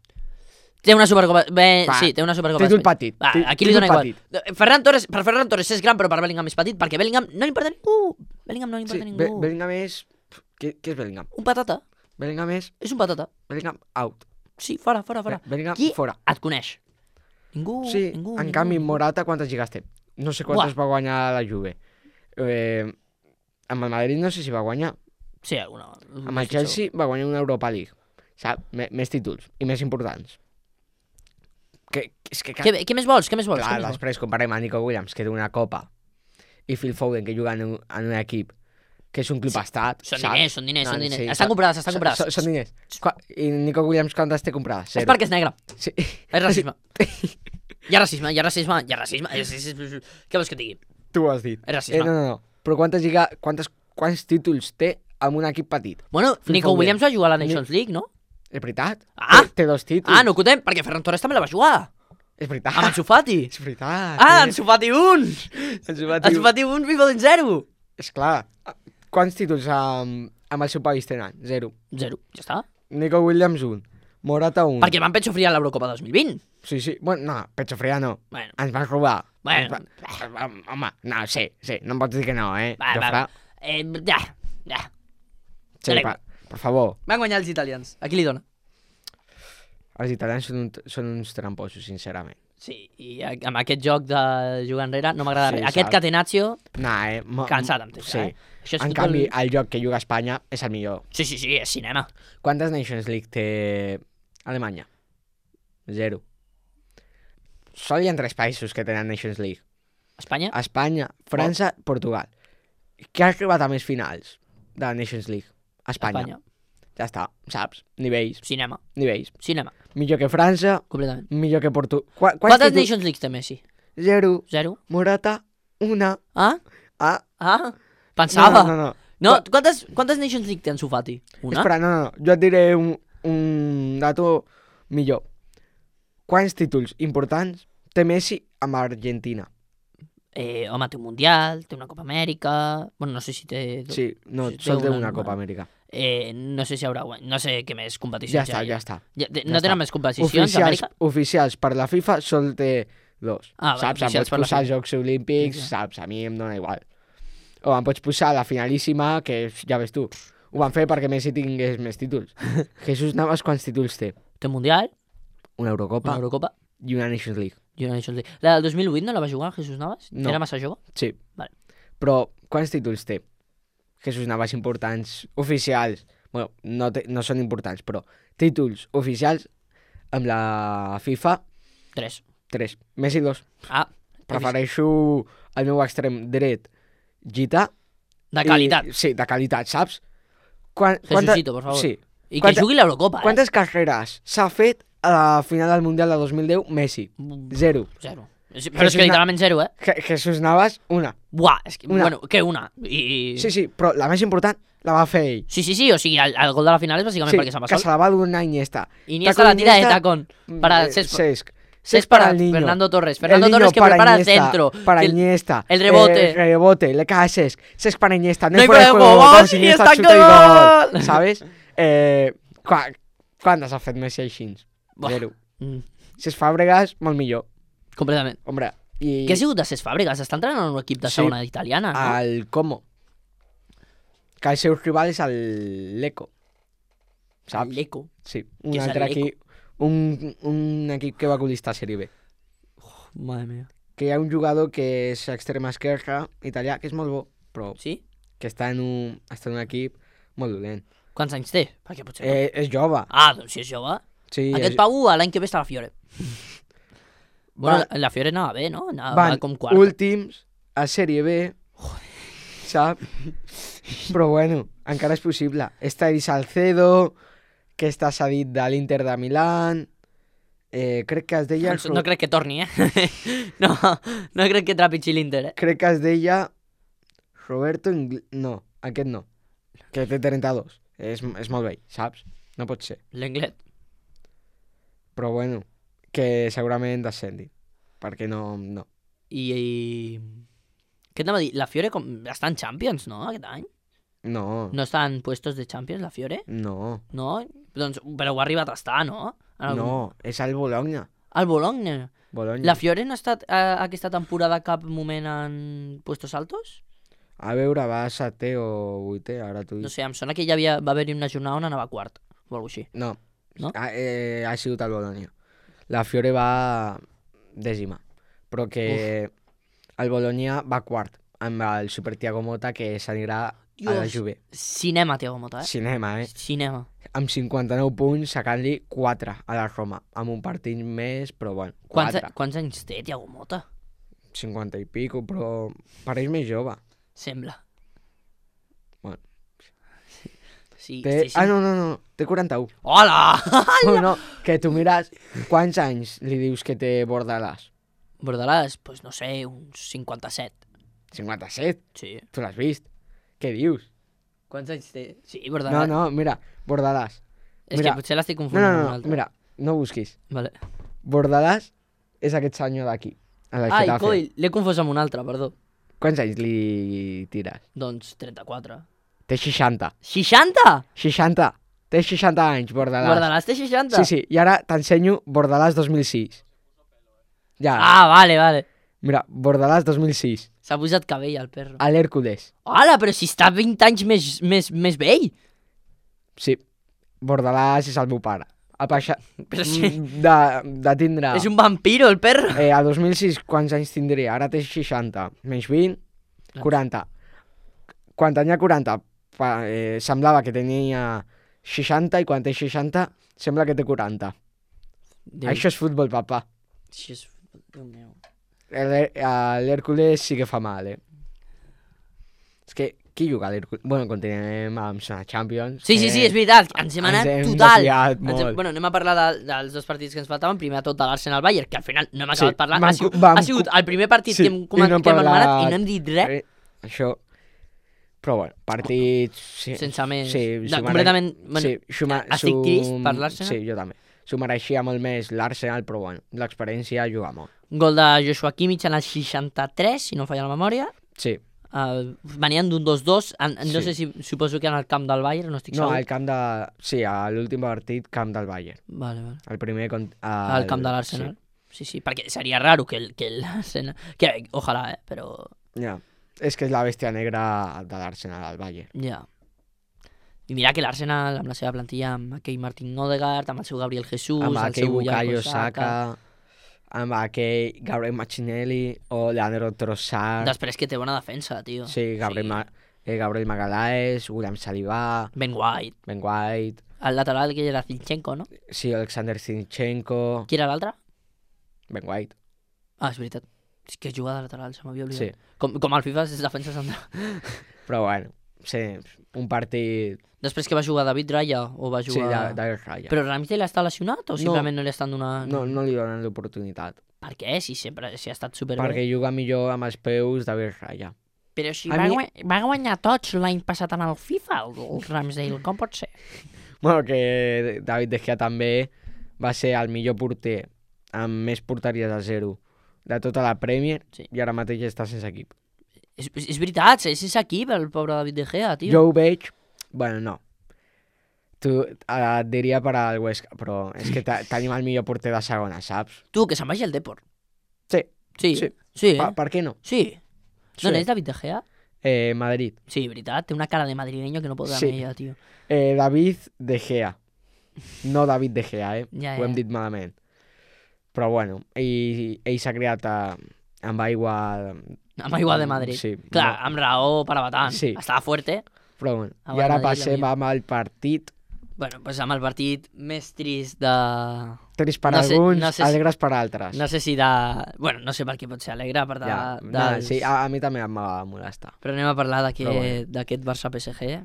Té una Supercopa. Bé, Va, sí, té una Supercopa. títol d'Espanya. petit, Va, tí- aquí li títol dona igual. Ferran Torres, per Ferran Torres és gran, però per Bellingham és petit, perquè Bellingham no li importa a ningú. Bellingham no li Sí, importa a Be ningú. Bellingham és... Què, què és Bellingham? Un patata. Bellingham és... És un patata. Bellingham out. Sí, fora, fora, fora. Be Bellingham Qui fora. et coneix? Ningú, Sí, ningú. en ningú, canvi, ningú. Morata quantes lligues té? No sé quantes va guanyar la Juve. Eh, amb el Madrid no sé si va guanyar. Sí, alguna. Amb el Chelsea va guanyar una Europa League. Sap? M més títols i més importants. Que, és que... Què, què més vols? Què més vols? Clar, Què més vols? després comparem a Nico Williams, que té una copa, i Phil Foden, que juga en un, en un equip que és un club Sí, estat. Són saps? diners, són diners, No, són diners. sí, estan són- comprades, estan Són- comprades. Són, són diners. Qua, I Nico Williams quantes té comprades? És Zero. perquè és negre. Sí. És racisme. Hi ha racisme, hi ha racisme, hi ha racisme. És, és, és... Què vols que et digui? Tu ho has dit. És racisme. Eh, no, no, no. Però quantes, lliga, quantes, quants títols té amb un equip petit? Bueno, Phil Nico Foden. Williams va jugar a la Nations League, no? És veritat? Ah! Té, té dos títols. Ah, no ho contem, perquè Ferran Torres també la va jugar. És veritat. Amb Ansu Fati. És veritat. Ah, eh? Ansu Fati un! Ansu Fati. Ansu Fati un, Phil Foden zero. És clar. Quants títols amb, amb el seu país tenen? Zero. Zero, ja està. Nico Williams un. Morata un. Perquè van pecho fria a l'Eurocopa dos mil vint. Sí, sí. Bueno, no, pecho fría no. Bueno, Ens van robar. Bueno. Ens va... Home, no, sí, sí. No em pots dir que no, eh? va, va. Jofre. Eh, ja, ja. Sí, Anem. per, per favor. Van guanyar els italians. A qui li dona? Els italians són, un, són uns tramposos, sincerament. Sí, i a- amb aquest joc de jugar enrere no m'agrada Sí, res. Aquest saps? Catenaccio, Nah, eh? mo- cansat em té, Sí. eh? Això és En futbol- canvi, el joc que juga Espanya és el millor. Sí, sí, sí, és cinema. Quantes Nations League té Alemanya? Zero. Sol hi ha tres països que tenen Nations League. Espanya? Espanya, França, Portugal. Qui ha arribat a més finals de la Nations League? Espanya. Espanya. Ja està, saps? Nivells, Cinema. nivells. Cinema. Millor que França, Completament. millor que Portugal. Qua, Quantes títols? Nations Leagues té Messi? Zero. Zero? Morata, una. Ah? Ah, Ah? Pensava. no, no, no. No, Qua- quantes, quantes Nations League té Ansu Fati? Una? Espera, no, no, no. Jo et diré un, un dato millor. Quants títols importants té Messi amb Argentina? Eh, home, té un Mundial, té una Copa Amèrica... Bueno, no sé si té... Sí, no, Sí, té sol té una una normal. Copa Amèrica. Eh, no sé si haurà guany... No sé què més Ja competicions està, hi ha. ja està. Ja, de- ja no tenen està. més competicions Oficials, d'Amèrica? oficials per la FIFA sol té dos. Ah, vale, saps? Em oficials pots per la posar als FIFA. Jocs Olímpics, Sí, sí. saps? A mi em dóna igual. O em pots posar la finalíssima, que ja ves tu. Ho van fer perquè Messi tingués més títols. Jesús Navas quants títols té? Té un Mundial, Una Eurocopa una Eurocopa i una Nations League. i una Nations League. La del dos mil vuit no la va jugar Jesús Navas? No. Era massa jove? Sí. Vale. Però quants títols té? Jesús Navas importants, oficials. Bueno, no, té, no són importants, però títols oficials amb la FIFA, Tres. tres. Messi, dos. Ah, Prefereixo el meu extrem dret, Gita. de qualitat. I, sí, de qualitat, saps? Quan, Jesucito, por favor. Sí. I que quanta- jugui l'Eurocopa, eh? Quantes carreres s'ha fet a la final del Mundial de dos mil deu? Messi. Zero. Zero. Sí, però és Jesús que Na- literalment zero, eh? Je Jesús Navas, una. Buah, és que, Una. bueno, què una? I... Sí, sí, però la més important la va fer ell. Sí, sí, sí, o sigui, el, el gol de la final és bàsicament Sí, perquè se'n va que sol. se la va donar Iniesta. Iniesta la tira de Iniesta, tacón para eh, Cesc. Cesc. Cesc para para el niño. Fernando Torres. El Fernando niño Torres que para prepara el Iniesta, centro. Para que el- Iniesta. el rebote. Eh, rebote, le cae a Cesc. Cesc para Iniesta. No No hay hay fuera de fuera de juego. juego, Gol, ¡y Iniesta está chuta y gol! gol. ¿Sabes? Eh, qua, quantes ha fet Messi així? Buah. Zero. Mm, Si és Fàbregas, molt millor. completament. Hombre, i Què ha sigut de Cesc Fàbregas? Està entrenant en un equip de Sí. segona italiana, no? al Como. Que el seu rival és el Leco. Saps? L'Eco. Sí, un Què és el altre Lecco? equip. Un, un equip que va colistar a Sèrie B. Madre mía. Que hi ha un jugador que és extrema esquerra, italià, que és molt bo, però Sí? que està en un, està en un equip molt dolent. Quants anys té? Perquè potser... no. Eh, és jove. Ah, doncs si és jove. Sí, Aquest és... Pau l'any que ve està a la Fiore. Bueno, Va- la, la Fiore anava bé, no? Anava Van com quart. últims a Sèrie B, saps? Però bueno, encara és possible. Està Eddie Salcedo, que està cedit de l'Inter de Milán. Eh, crec que es deia... No, no crec que torni, eh? no, no crec que trepitgi l'Inter, eh? crec que es deia Roberto Ingl... No, aquest no. Que té trenta-dos. És, és molt vell, saps? No pot ser. L'Englet. Però bueno, que segurament descendi. Perquè no... no. I, i... Què t'anava a dir? La Fiore com... està en Champions, no, aquest any? No, No està en puestos de Champions, la Fiore? no, No? Doncs, però ho ha arribat a estar, no? En algun- no. És el Bologna. El Bologna. Bologna. La Fiore no ha estat eh, aquesta temporada cap moment en puestos altos? A veure, va a setè o vuitè, ara t'ho No dic. sé, em sona que hi havia, va haver-hi una jornada on anava quart, o alguna així. No, No? Ha, eh, ha sigut el Bologna. La Fiore va dècima, però que el Bologna va quart amb el Super Thiago Motta, que s'anirà a la Dios. Juve. Cinema, Thiago Motta, eh? Cinema, eh? Cinema. Amb cinquanta-nou punts, sacant-li quatre a la Roma, amb un partit més, però bueno, Quants, quatre. quants anys té, Thiago Motta? cinquanta i pico, però pareix més jove. Sembla. Bueno. Sí, Té... sí, sí. Ah, no, no, no, té quaranta-un. Hola! No, no, que tu mires quants anys li dius que té Bordalàs. Bordalàs, pues no sé, uns cinquanta-set. cinquanta-set, Sí. tu l'has vist? Què dius? Quants anys té? Sí, No, Bordalàs. no, mira, Bordalàs. És mira. que potser l'estic No, confondint no, amb no, un no, altre. mira, no busquis. Vale. Bordalàs és aquest senyor d'aquí, a la Ai, Getafe. coi, l'he confós amb un altre, perdó. Quants anys li tires? Doncs trenta-quatre. Té seixanta. seixanta? seixanta. Té seixanta anys, Bordalàs. Bordalàs té seixanta? Sí, sí, i ara t'ensenyo Bordalàs dos mil sis. Ja, Ah, vale, vale. mira, Bordalàs dos mil sis. S'ha posat cabell, el perro. A l'Hèrcules. Hola, però si està vint anys més, més, més vell. Sí, Bordalàs és el meu pare. Ha passat Però sí. de, de tindre... És un vampiro, el perro. Eh, a dos mil sis, quants anys tindria? Ara té seixanta. Menys vint, quaranta. Quan tenia quaranta, pa, eh, semblava que tenia seixanta, i quan té seixanta, sembla que té quaranta. Déu. Això és futbol, papa. Això és... Déu meu. El- a L'Hèrcules sí que fa mal, eh? És que, qui juga a l'Hèrcules? Bueno, continuem amb la Champions. Sí, sí, que sí, és veritat. Ens hem ens anat hem total. desviat Ens hem... molt. Bueno, anem a parlar de, dels dos partits que ens faltaven. Primer de tot de l'Arsenal-Bayern, que al final no hem acabat Sí, parlant. vam Ha sigut, co- vam ha sigut co- el primer partit Sí, que hem, i comen... no hem que hem anomenat parlat- i no hem dit res. Eh, això... Però bueno, partits... Sí, Sense més. Sí, De- s'ho mere- completament... Bueno, sí, s'ho me- estic s'ho- trist per l'Arsenal. Sí, jo també. S'ho mereixia molt més l'Arsenal, però bueno, l'experiència juga molt. Gol de Joshua Kimmich en el seixanta-tres, si no em falla la memòria. Sí. Uh, venien d'un dos dos. En, en, no Sí. sé si suposo que en el camp del Bayern, no estic No, segur. al camp de... Sí, a l'últim partit, camp del Bayern. Vale, vale. El primer... Con... Al camp de l'Arsenal. Sí. sí, sí, perquè seria raro que el, que l'Arsenal... Que, ojalà, eh, però... Sí. Ja. És que és la bèstia negra de l'Arsenal, al Bayern. Ja. I mira que l'Arsenal, amb la seva plantilla, amb aquell Martín Odegaard, amb el seu Gabriel Jesús, Amb el aquell seu Bukayo Saka... Saka, amb aquell Gabriel Martinelli o Leandro Trossard. Després que té bona defensa, tio. Sí, Gabriel, Ma... eh, Gabriel Magalhaes, William Saliba, Ben White. Ben White, El lateral que era Zinchenko, no? sí, Alexander Zinchenko, Qui era l'altre? Ben White. Ah, és veritat. És que juga de lateral, se m'havia oblidat. Sí, Com, com al FIFA és defensa central. però bueno, sí, un partit... Després que va jugar David Raya o va Sí, jugar... de, de Raya. Però Ramsdale està lesionat o simplement no, li estan donant... No, no li donen l'oportunitat, Per què? Si sempre si ha estat superbé. perquè juga millor amb els peus de Raya. Però si A va, mi- guany... va guanyar tots l'any passat en el FIFA, el, el Ramsdale, com pot ser? Bueno, que David De Gea també va ser el millor porter amb més porteries a zero de tota la Premier, Sí. i ara mateix està sense equip. És, és veritat, és sense equip el pobre David De Gea, tio. Jo ho veig... Bueno, no. Tu eh, et diria per al Huesca, però és que te- tenim el millor porter de segona, saps? Tu, que se'n vagi al Depor. Sí. Sí, Sí. sí, eh? Per, per què no? Sí. Sí. No n'és David De Gea? Eh, Madrid. Sí, veritat, té una cara de madrileño que no pot Sí. amb ella, tio. Eh, David De Gea. No David De Gea, eh? Ja, Ho hem ja. dit malament. Però bueno, ell, ell s'ha criat a, amb aigua... Amb aigua de Madrid. Sí. Clar, no. amb raó per abatant. Sí. Estava fuerte. Però bueno. Aigua I de ara Madrid, passem la amb el partit. Bueno, pues amb el partit més trist de... Trist per No sé- alguns, no sé si- alegres per altres. No sé si de... Bueno, no sé per què pot ser alegre, per de... ja, dels... nada, sí, a, a mi també em va molestar. Però anem a parlar d'aquest Però bueno. d'aquest Barça-P S G.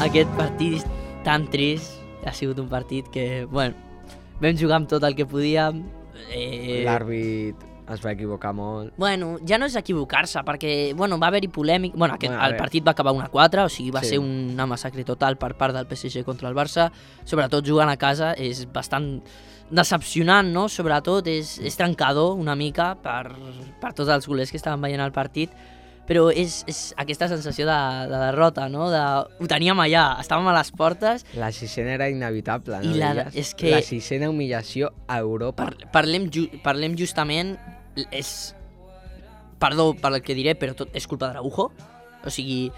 Aquest partit tan trist ha sigut un partit que, bueno, vam jugar amb tot el que podíem. Eh... L'àrbit es va equivocar molt. Bueno, ja no és equivocar-se, perquè, bueno, va haver-hi polèmic... Bueno, aquest, Bueno, a el veure. partit va acabar un a quatre, o sigui, va Sí. ser una massacre total per part del P S G contra el Barça. Sobretot jugant a casa és bastant decepcionant, no? Sobretot és, és trencador una mica per, per tots els golers que estaven veient el partit, però és, és aquesta sensació de, de derrota, no? De, ho teníem allà, estàvem a les portes. La sisena era inevitable, no? I la- deies? és que- La sisena humillació a Europa. Par parlem, ju parlem justament... És... Perdó per el que diré, però tot és culpa d'Araujo. O sigui,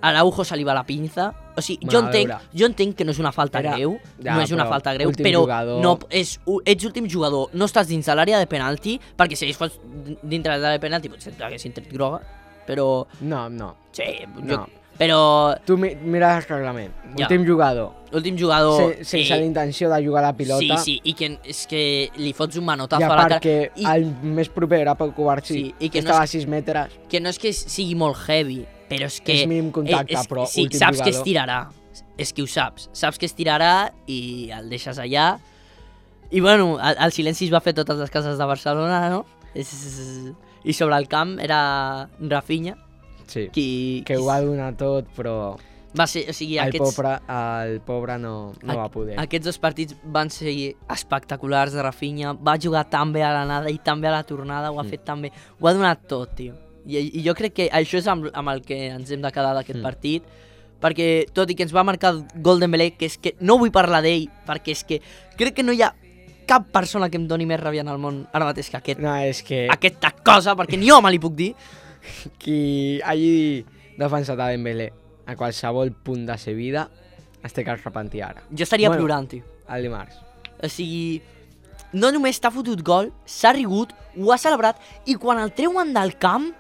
a Araujo se li va la pinza. O sigui, Bueno, jo, a entenc, veure. jo entenc que no és una falta Era- greu, ja, no és una però falta greu, últim però jugador- no, és, u- ets últim jugador, no estàs dins de l'àrea de penalti, perquè si ells fos dintre de l'àrea de penalti potser t'haguessin tret groga, però... No, no. Sí, No. jo, però Tu mi mira el reglament. Ja. Últim jugador. últim jugador... Se sense eh, la intenció de jugar la pilota. Sí, sí, i que és que li fots un I manotazo a a la part cara. que I- el més proper era pel Covarsí, Sí, i que que no estava és- a sis metres. Que no és que sigui molt heavy, però és que... És mínim contacte, és, però sí, últim saps que es jugador. tirarà. És que ho saps. Saps que es tirarà i el deixes allà. I bueno, el, el silenci es va fer a totes les cases de Barcelona, no? És... I sobre el camp era Rafinha, Sí. qui... Que ho va donar tot, però Va ser, o sigui, el, aquests, pobre, el pobre no, no va poder. aquests dos partits van ser espectaculars de Rafinha. Va jugar tan bé a l'anada i tan bé a la tornada, ho ha Mm. fet tan bé. Ho ha donat tot, tio. I, i jo crec que això és amb, amb el que ens hem de quedar d'aquest Mm. partit, perquè tot i que ens va marcar el gol Dembélé, que és que no vull parlar d'ell, perquè és que crec que no hi ha cap persona que em doni més ràbia en el món ara mateix que aquest, No, és que aquesta cosa, perquè ni jo me li puc dir. qui hagi defensat a Dembélé a qualsevol punt de sa vida es té que arrepentir ara. Jo estaria Bueno. plorant, tio. El dimarts. O sigui, no només t'ha fotut gol, s'ha rigut, ho ha celebrat, i quan el treuen del camp,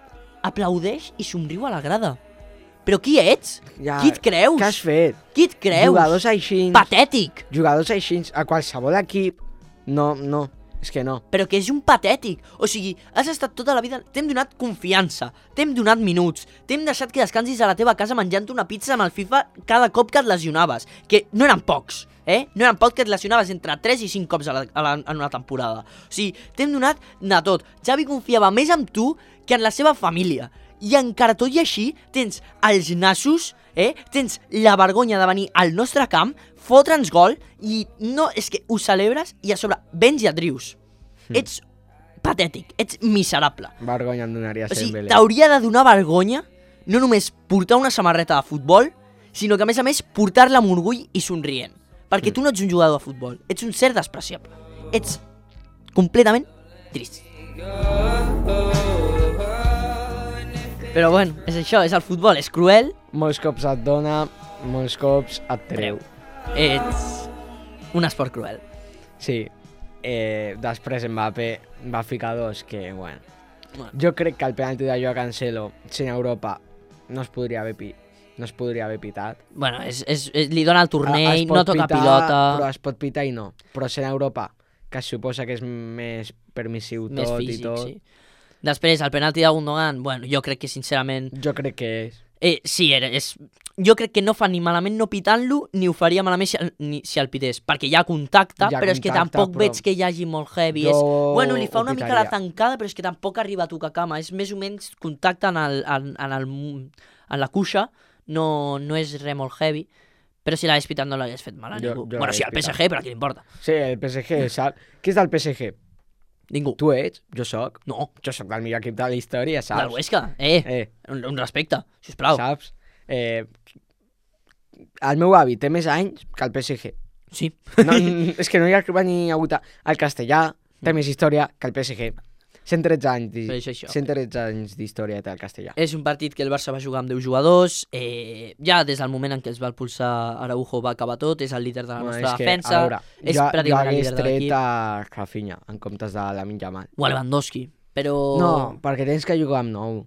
aplaudeix i somriu a la grada. Però qui ets? Ja, Qui et creus? Què has fet? Qui et creus? Jugadors així, Patètic! jugadors així, a qualsevol equip, no, no, és que no. Però que és un patètic. O sigui, has estat tota la vida... T'hem donat confiança, t'hem donat minuts, t'hem deixat que descansis a la teva casa menjant una pizza amb el FIFA cada cop que et lesionaves. Que no eren pocs, eh? No eren pocs que et lesionaves entre tres i cinc cops a la, a la, en una temporada. O sigui, t'hem donat de tot. Xavi confiava més en tu que en la seva família. I encara tot i així tens els nassos, eh? Tens la vergonya de venir al nostre camp, fotre'ns gol i no, és que ho celebres i a sobre vens i et rius. Mm. Ets patètic, ets miserable. Vergonya em donaria O ser sigui, Dembélé. t'hauria de donar vergonya no només portar una samarreta de futbol, sinó que a més a més portar-la amb orgull i somrient. Perquè Mm. tu no ets un jugador de futbol, ets un ser despreciable. Ets completament trist. Però bueno, és això, és el futbol, és cruel. Molts cops et dona, molts cops et treu. Ets un esport cruel. Sí. Eh, després Mbappé va ficar dos que, bueno... Bueno. Jo crec que el penalti de Joao Cancelo, sent Europa, no es podria haver, pi no es podria haver pitat. Bueno, és, és, és, li dona el Es tornell, pot no toca pitar, pilota, Però es pot pitar i no. Però sent Europa, que es suposa que és més permissiu més tot físic, i tot, sí. Després, el penalti de Gundogan, bueno, jo crec que sincerament... jo crec que és... Eh, sí, era, és... Jo crec que no fa ni malament no pitant-lo, ni ho faria malament si el, ni, si el pités, perquè hi ha contacte, Hi ha però és que contacte, tampoc però- veig que hi hagi molt heavy. Jo És... Bueno, li fa ho una mica la pitaria. tancada, però és que tampoc arriba a tocar cama. És més o menys contacte en, el, en, en, el, en la cuixa, no, no és res molt heavy, però si l'hagués pitat no l'hagués fet mal a Jo- ningú. jo Bueno, sí, l'hagués al P S pitat. G, però a qui li importa? Sí, el P S G, saps? Qui és del P S G? Ningú. Tu ets, jo sóc. No, Jo sóc del millor equip de la història, del saps? Huesca. Eh, Eh, un, un respecte, sisplau. saps? Eh, el meu avi té més anys que el P S G. Sí. No, és que no hi ha ni hagut el castellà, té més història que el P S G. cent tretze anys, Però és això. cent tretze anys d'història té el castellà. És un partit que el Barça va jugar amb deu jugadors, eh, ja des del moment en què es va expulsar Araujo va acabar tot, és el líder de la Bueno, nostra és que, defensa, a veure, és jo, jo pràcticament el hagués líder de tret l'equip. a Rafinha en comptes de Lamine Yamal. O a Lewandowski, però... No, perquè tens que jugar amb nou.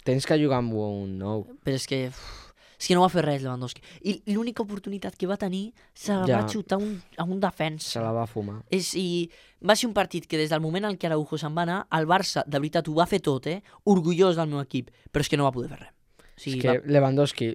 Tens que jugar amb un nou. Però és que... Uf, és que no va fer res Lewandowski. I l'única oportunitat que va tenir se la Ja. va xutar un, a un defensa. Se la va fumar. És, i va ser un partit que des del moment en què Araujo se'n va anar, el Barça, de veritat, ho va fer tot, eh? Orgullós del meu equip, però és que no va poder fer res. O sigui, És que va... Lewandowski...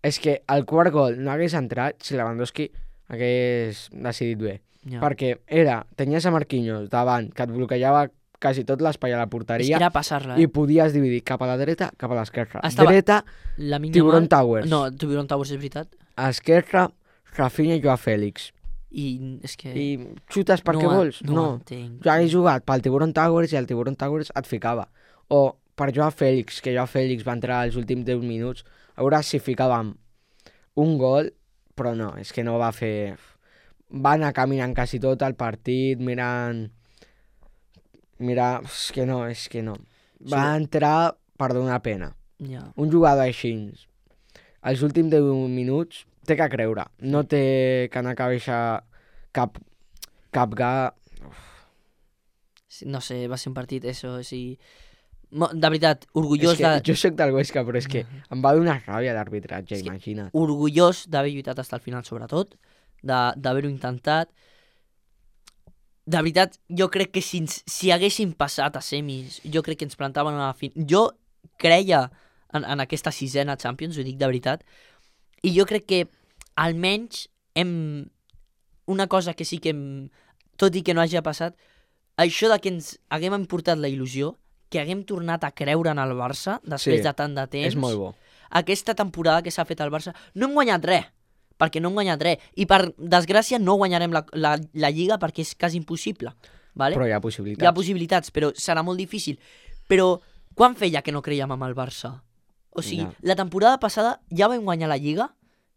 És que el quart gol no hagués entrat si Lewandowski hagués decidit bé. ja. Perquè era, tenies a Marquinhos davant, que et bloquejava quasi tot l'espai a la És que porteria era passar-la, i eh? podies dividir cap a la dreta, cap a l'esquerra. Estava- Dreta, La Tiburon Towers. No, Tiburon Towers és veritat. esquerra, Rafinha i Joao Fèlix. I és que... I xutes perquè no, vols? No, No. ho entenc. Jo hagués jugat pel Tiburon Towers i el Tiburon Towers et ficava. O per Joao Fèlix, que Joao Fèlix va entrar als últims deu minuts, a veure si ficàvem un gol, però no, és que no va fer... Va anar caminant quasi tot el partit, mirant... Mira, és que no, és que no. Va Sí. entrar per donar pena. Ja. Un jugador així, als últims deu minuts, té que creure. No té que anar a cabeixa cap, cap ga... Sí, no sé, va ser un partit, eso, o sigui... Mo- De veritat, orgullós, És que de, jo sóc del Huesca, però és que em va donar ràbia d'arbitratge, És que- imagina't. orgullós d'haver lluitat fins al final, sobretot, de- d'haver-ho intentat. De veritat, jo crec que si, ens, si haguéssim passat a semis, jo crec que ens plantaven a la fin... Jo creia en, en aquesta sisena Champions, ho dic de veritat, i jo crec que almenys hem... Una cosa que sí que hem... Tot i que no hagi passat, això de que ens haguem importat la il·lusió, que haguem tornat a creure en el Barça després Sí, de tant de temps. És molt bo. Aquesta temporada que s'ha fet al Barça, no hem guanyat res, perquè no hem guanyat res. I per desgràcia no guanyarem la, la, la Lliga perquè és quasi impossible. Vale? Però hi ha possibilitats. Hi ha possibilitats, però serà molt difícil. Però quan feia que no creiem en el Barça? O sigui, Ja. la temporada passada ja vam guanyar la Lliga,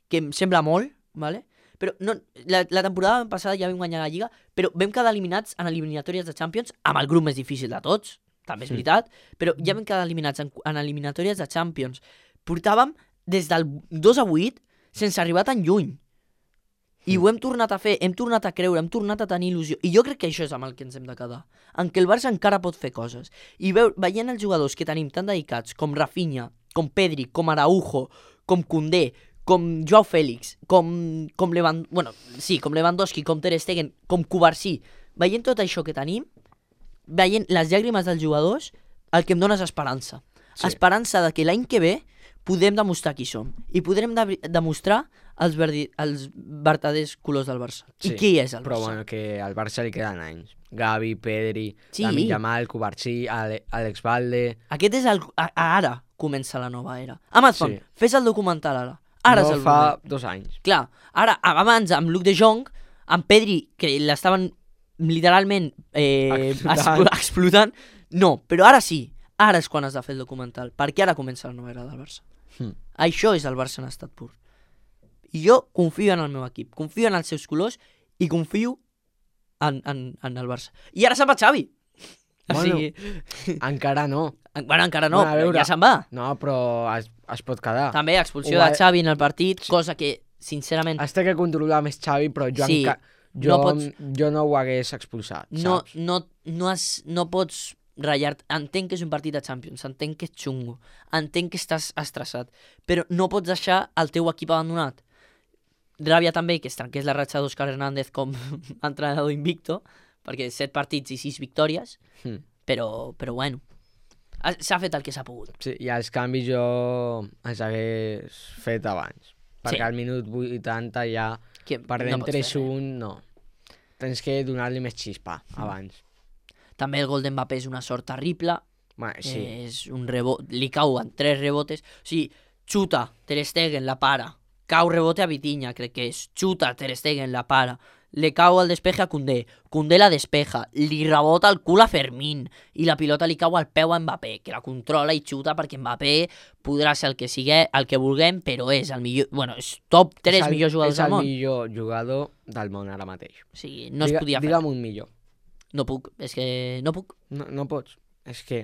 que em sembla molt, vale? Però no, la, la temporada passada ja vam guanyar la Lliga, però vam quedar eliminats en eliminatòries de Champions amb el grup més difícil de tots, també és Sí. veritat, però ja vam quedar eliminats en, en eliminatòries de Champions. Portàvem des del dos a vuit sense arribar tan lluny. I ho hem tornat a fer, hem tornat a creure, hem tornat a tenir il·lusió. I jo crec que això és amb el que ens hem de quedar. En què el Barça encara pot fer coses. I veu, veient els jugadors que tenim tan dedicats, com Rafinha, com Pedri, com Araujo, com Koundé, com Joao Fèlix, com, com, Lewand... bueno, sí, com Lewandowski, com Ter Stegen, com Cubarsí, veient tot això que tenim, veient les llàgrimes dels jugadors, el que em dona és esperança. Sí. Esperança de que l'any que ve podem demostrar qui som. I podrem de demostrar els, verdi els vertaders colors del Barça. Sí, I qui és el Però Barça? bueno, que al Barça li queden anys. Gavi, Pedri, Sí. Lamine Yamal, Cubarsí, Ale Alex Valde... Aquest és el... A, ara comença la nova era. Amazon, Sí. fes el documental ara. Ara no és el fa moment. dos anys. Clar, ara, abans, amb Luc de Jong, amb Pedri, que l'estaven literalment eh, Explotant. explotant. explotant, no, però ara sí, ara és quan has de fer el documental, perquè ara comença la nova era del Barça. Hmm. Això és el Barça en estat pur. I jo confio en el meu equip, confio en els seus colors i confio en, en, en el Barça. I ara se'n va Xavi. O Bueno, sigui, Encara no. en- bueno, encara no, bueno, a però veure. ja se'n va. No, però es, es pot quedar. També expulsió Ho va- de Xavi en el partit, cosa que, sincerament, Es té que controlar més Xavi, però jo, Sí, enca... jo, no no pots- jo no ho hagués expulsat, no, saps? no, no, has, no pots ratllar-te. Entenc que és un partit de Champions, entenc que és xungo, entenc que estàs estressat, però no pots deixar el teu equip abandonat. Ràbia també que es trenqués la ratxa d'Òscar Hernández com a entrenador invicto, perquè set partits i sis victòries, Hm. però, però bueno, ha- s'ha fet el que s'ha pogut. Sí, i els canvis jo els hagués fet abans. Perquè Sí. al minut vuitanta ja Que perdent no pots fer tres res. un, no. Tens que donar-li més xispa abans. També el gol d'Mbappé és una sort terrible, Bueno, sí, eh, és un rebot, li cau en tres rebotes, o sigui, xuta, Ter Stegen la para, cau rebote a Vitinha, crec que és, xuta, Ter Stegen la para, le cau el despeje a Koundé, Koundé la despeja, li rebota el cul a Fermín i la pilota li cau al peu a Mbappé, que la controla i xuta perquè Mbappé podrà ser el que sigui, el que vulguem, però és el millor, bueno, és top tres millors jugadors del món. És el millor jugador del món ara mateix. O sigui, no es Diga, podia fer. Digue'm un millor. No puc, és que no puc. No, no pots. És que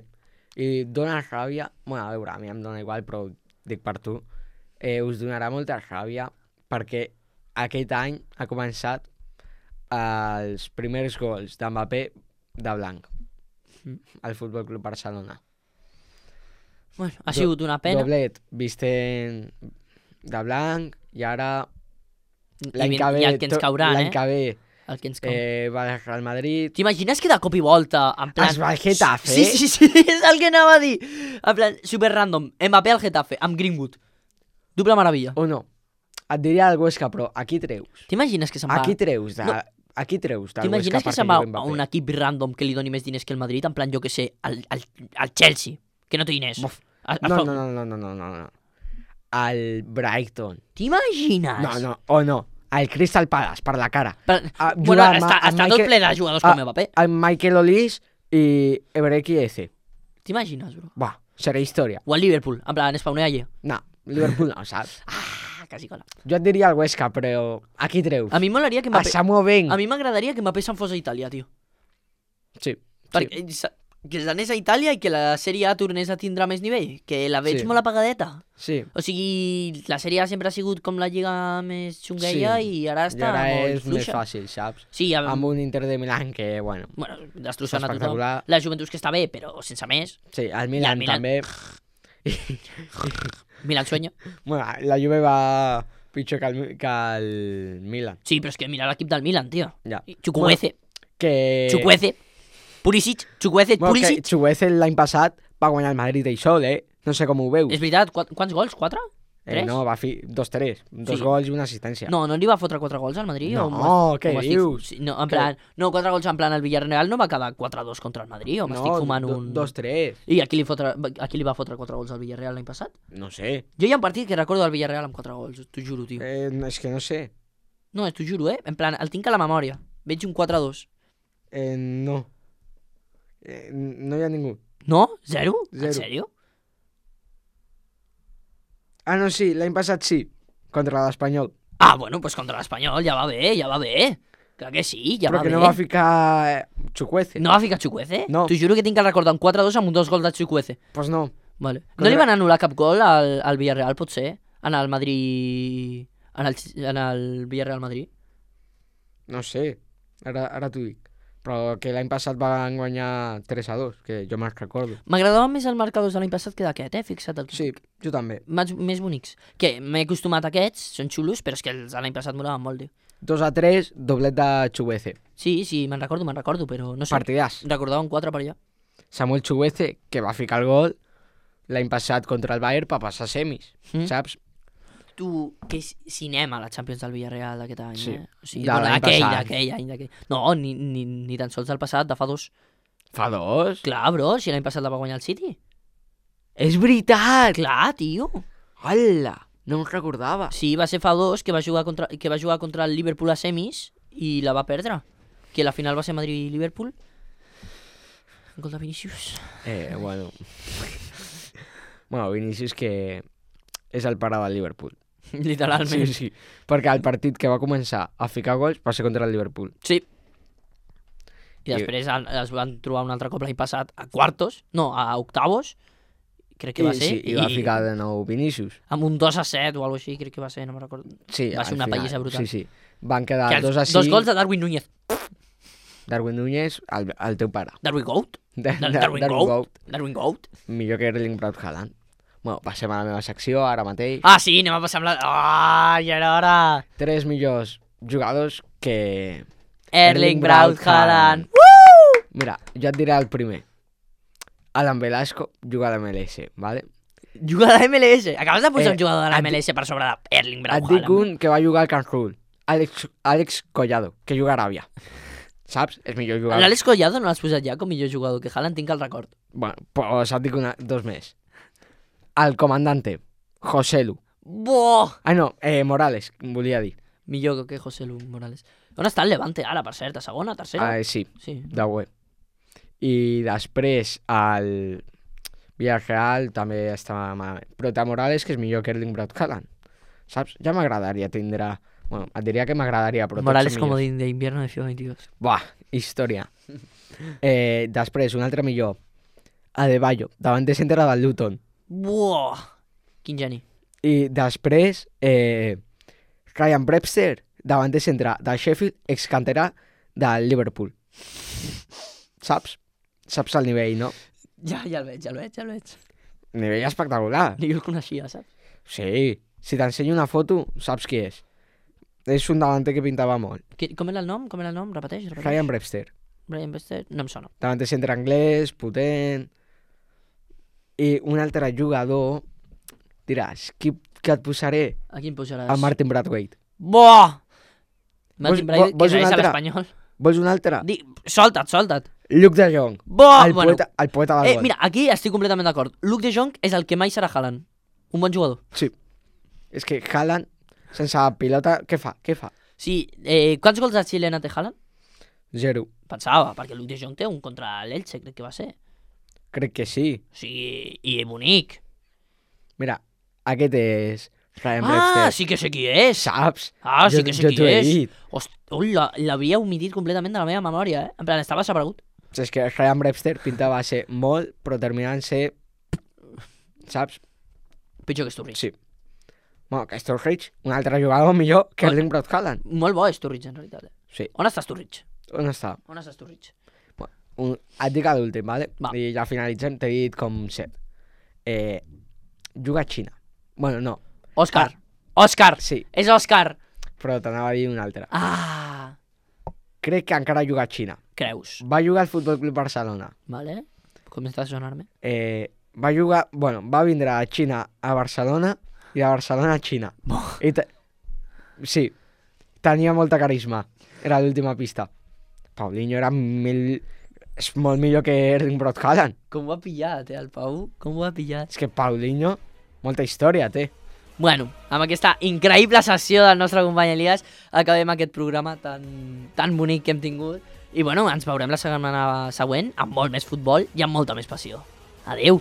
i dona ràbia, bueno, a veure, a mi em dona igual, però dic per tu, eh, us donarà molta ràbia perquè aquest any ha començat els primers gols d'Mbappé de blanc al Futbol Club Barcelona. Bueno, ha sigut una pena. Doblet visten de blanc i ara l'any I, que ve, i el que ens caurà, l'any eh? que ve El que ens cau. eh, va al Real Madrid. T'imagines que de cop i volta, en plan... Es va al Getafe. Sí, sí, sí, és el que anava a dir. En plan, super random. Mbappé al Getafe, amb Greenwood. Doble meravella. O no. Et diria el Huesca, però aquí treus. T'imagines que se'n va... Aquí treus de... No. Aquí treus del T'imagines Huesca que perquè se'n va jugui a Mbappé. un equip random que li doni més diners que el Madrid? En plan, jo que sé, al, al, al Chelsea, que no té diners. Buf. A, a, No, no, no, no, no, no, no, no. El Brighton. T'imagines? No, no, o no. El Crystal Palace, per la cara. Però, Ah, bueno, jugar amb- està, amb està tot Michael- ple de jugadors Ah, com Mbappé. El Michael Olise i Ebreki Eze. T'imagines, bro? Buah, serà història. O el Liverpool, en plan, spawner allà. No, Liverpool no, saps? Ah, quasi cola. Jo et diria el Huesca, però aquí treus. A mi m'agradaria que A Mbappé... Samu Ben. A mi m'agradaria que Mbappé se'n fos a Itàlia, tio. Sí, sí. Perquè sa- que s'anés a Itàlia i que la Sèrie A tornés a tindre més nivell, que la veig Sí. molt apagadeta. Sí. O sigui, la Sèrie A sempre ha sigut com la lliga més xungueia Sí. i ara I està ara molt és més fluixa. fàcil, saps? Sí, amb, Amb un Inter de Milán que, bueno... bueno, destrossant a tothom. espectacular. La Juventus que està bé, però sense més. Sí, el Milan, Milan- també. Milan sueño. Bueno, la Juve va pitjor que el, que el Milan. Sí, però és que mira l'equip del Milan, tio. Ja. Chukwueze, Que... Chukwueze, Pulisic, Chukwueze, Bueno, que Pulisic. Chukwueze l'any passat va guanyar el Madrid ell sol, eh? No sé com ho veus. És veritat, qu quants gols? Quatre? Eh, Tres? no, va fer dos-tres. Dos Sí. gols i una assistència. No, no li va fotre quatre gols al Madrid? No, o m'ho- què o m'estic- dius? Sí, no, en Què? plan, no, quatre gols en plan el Villarreal no va quedar quatre a dos contra el Madrid, o m'estic fumant do- un... dos-tres. I a qui, li fotre, a qui li va fotre quatre gols al Villarreal l'any passat? No sé. Jo hi ha un partit que recordo del Villarreal amb quatre gols, t'ho juro, tio. Eh, és que no sé. No, t'ho juro, eh? En plan, el tinc a la memòria. Veig un quatre a dos. Eh, no. Eh, no hi ha ningú. No? Zero? Zero. En sèrio? Ah, no, sí, l'any passat sí. Contra l'Espanyol. Ah, bueno, pues contra l'Espanyol ja va bé, ja va bé. Clar que sí, ja Però va que bé. no va ficar eh, Chukwueze. No va ficar Chukwueze? No. T'ho juro que tinc el recordar un quatre a dos amb un dos gols de Chukwueze. Pues no. Vale. Contra- No li van anul·lar cap gol al, al Villarreal, potser? En el Madrid... En el, en el Villarreal Madrid? No sé. Ara, ara t'ho dic. Però que l'any passat van guanyar tres a dos, que jo me'n recordo. M'agradaven més els marcadors de l'any passat que d'aquest, eh? Fixa't el que Sí, jo també. Més, més bonics. Que m'he acostumat a aquests, són xulos, però és que els de l'any passat molaven molt, tio. dos a tres, doblet de Chukwueze. Sí, sí, me'n recordo, me'n recordo, però no sé. Partidàs. Recordava un quatre per allà. Samuel Chukwueze, que va ficar el gol l'any passat contra el Bayern per passar semis, Mm. saps? Tu, que és cinema la Champions del Villarreal d'aquest any, Sí. eh? O sigui, De bueno, l'any d'aquell, passat. d'aquell any, d'aquell. No, ni, ni, ni tan sols del passat, de fa dos. Fa dos? Clar, bro, si l'any passat la va guanyar el City. És veritat! Clar, tio. Hola! No em recordava. Sí, va ser fa dos que va jugar contra, que va jugar contra el Liverpool a semis i la va perdre. Que la final va ser Madrid-Liverpool. Gol de Vinícius. Eh, bueno... bueno, Vinícius que és el pare del Liverpool. Literalment. Sí, sí. Perquè el partit que va començar a ficar gols va ser contra el Liverpool. Sí. I I- després el- es van trobar un altre cop l'any passat a quartos, no, a octavos, crec que va I, ser. sí, i va ficar de nou Vinícius. Amb un dos a set o alguna així, crec que va ser, no me'n recordo. Sí, Va ser al una final. pallissa brutal. Sí, sí. Van quedar Que els- dos a cinc. dos gols de Darwin Núñez. Darwin Núñez, el, el teu pare. Darwin Goat? De, Dar- de- Darwin Darwin Goat? Goat. Darwin Goat? Millor que Erling Braut Haaland. Bueno, passem a la meva secció ara mateix. Ah, sí, anem a passar amb la... Ah, ja era hora! Tres millors jugadors que... Erling Braut Haaland. Mira, jo et diré el primer. Alan Velasco juga a l'M L S, ¿vale? Juga a la M L S. Acabes de posar Eh, un jugador de la et M L S per sobre d'Erling Braut Et dic Haaland. un que va jugar al Camp Nou. Àlex, Àlex Collado, que juga a Aràbia. Saps? És millor jugador. L'Àlex Collado no l'has posat ja com millor jugador que Haaland, tinc el record. Bueno, pues et dic una, dos més. El comandante, Joselu. Boh! Ah, no, eh, Morales, volia dir. Millor que José Lu Morales. On està el Levante ara, per cert? A segona, tercera? Ah, sí, Sí. de web. I després el Villarreal també estava malament. Però de Morales, que és millor que Erling Braut Haaland. Saps? Ja m'agradaria tindre... Bueno, et diria que m'agradaria, però Morales tots són millors. comodín de invierno de FIFA veintidós. Buah, història. eh, després, un altre millor. Adebayo, davant de centre del Luton. Buah! Quin geni. I després, eh, Ryan Brewster, davant de centre del Sheffield, excanterà del Liverpool. Saps? Saps el nivell, no? Ja, ja el veig, ja el veig, ja el veig. Nivell espectacular. Ni jo el coneixia, saps? Sí, si t'ensenyo una foto, saps qui és. És un davanter que pintava molt. Qui- Com era el nom? Com era el nom? Repeteix, repeteix. Ryan Brewster. Brian Bester? No em sona. Davant de centre anglès, potent... I un altre jugador... Diràs, qui, que et posaré? A quin posaràs? El Martin Braithwaite. Buah! Martin Vols- Braithwaite, vols que un és a altre? l'Espanyol. Vols un altre? Di... Solta't, solta't. Luke de Jong. Buah! El, bueno, poeta, el poeta del eh, gol. mira, aquí estic completament d'acord. Luke de Jong és el que mai serà Haaland. Un bon jugador. Sí. És que Haaland, sense pilota, què fa? Què fa? Sí, eh, quants gols de xilena té Haaland? Zero. Pensava, perquè Luke de Jong té un contra l'Elche, crec que va ser. Crec que sí. O sigui, i bonic. Mira, aquest és Ryan Ah, Brewster. sí que sé qui és. Saps? Ah, sí Jo- que sé jo qui t'ho he és. dit. Host... Ui, la- l'havia omitit completament de la meva memòria, eh? En plan, estava desaparegut. És que Ryan Brewster pintava ser molt, però terminant ser... Saps? Pitjor que Sturridge. Sí. Bueno, que Sturridge, un altre jugador millor que Erling Braut Haaland. Molt bo Sturridge, en realitat. Eh? Sí. On està Sturridge? On està? On està Sturridge? Un, et dic l'últim, vale? Va. I ja finalitzem, t'he dit com set. Eh, juga a Xina. Bueno, no. Òscar. Òscar. Sí, És Òscar. però t'anava a dir un altre. Ah. Crec que encara juga a Xina. Creus. Va jugar al Futbol Club Barcelona. Vale. Comença a sonar-me. Eh, va jugar... Bueno, va vindre a Xina a Barcelona i de Barcelona a Xina. I te... Sí, tenia molta carisma. Era l'última pista. Paulinho era mil... És molt millor que Erling Braut Haaland. Com ho ha pillat, eh, el Pau? Com ho ha pillat? És que Paulinho, molta història té. Bueno, amb aquesta increïble sessió del nostre company Elias acabem aquest programa tan, tan bonic que hem tingut. I bueno, ens veurem la setmana següent amb molt més futbol i amb molta més passió. Adeu!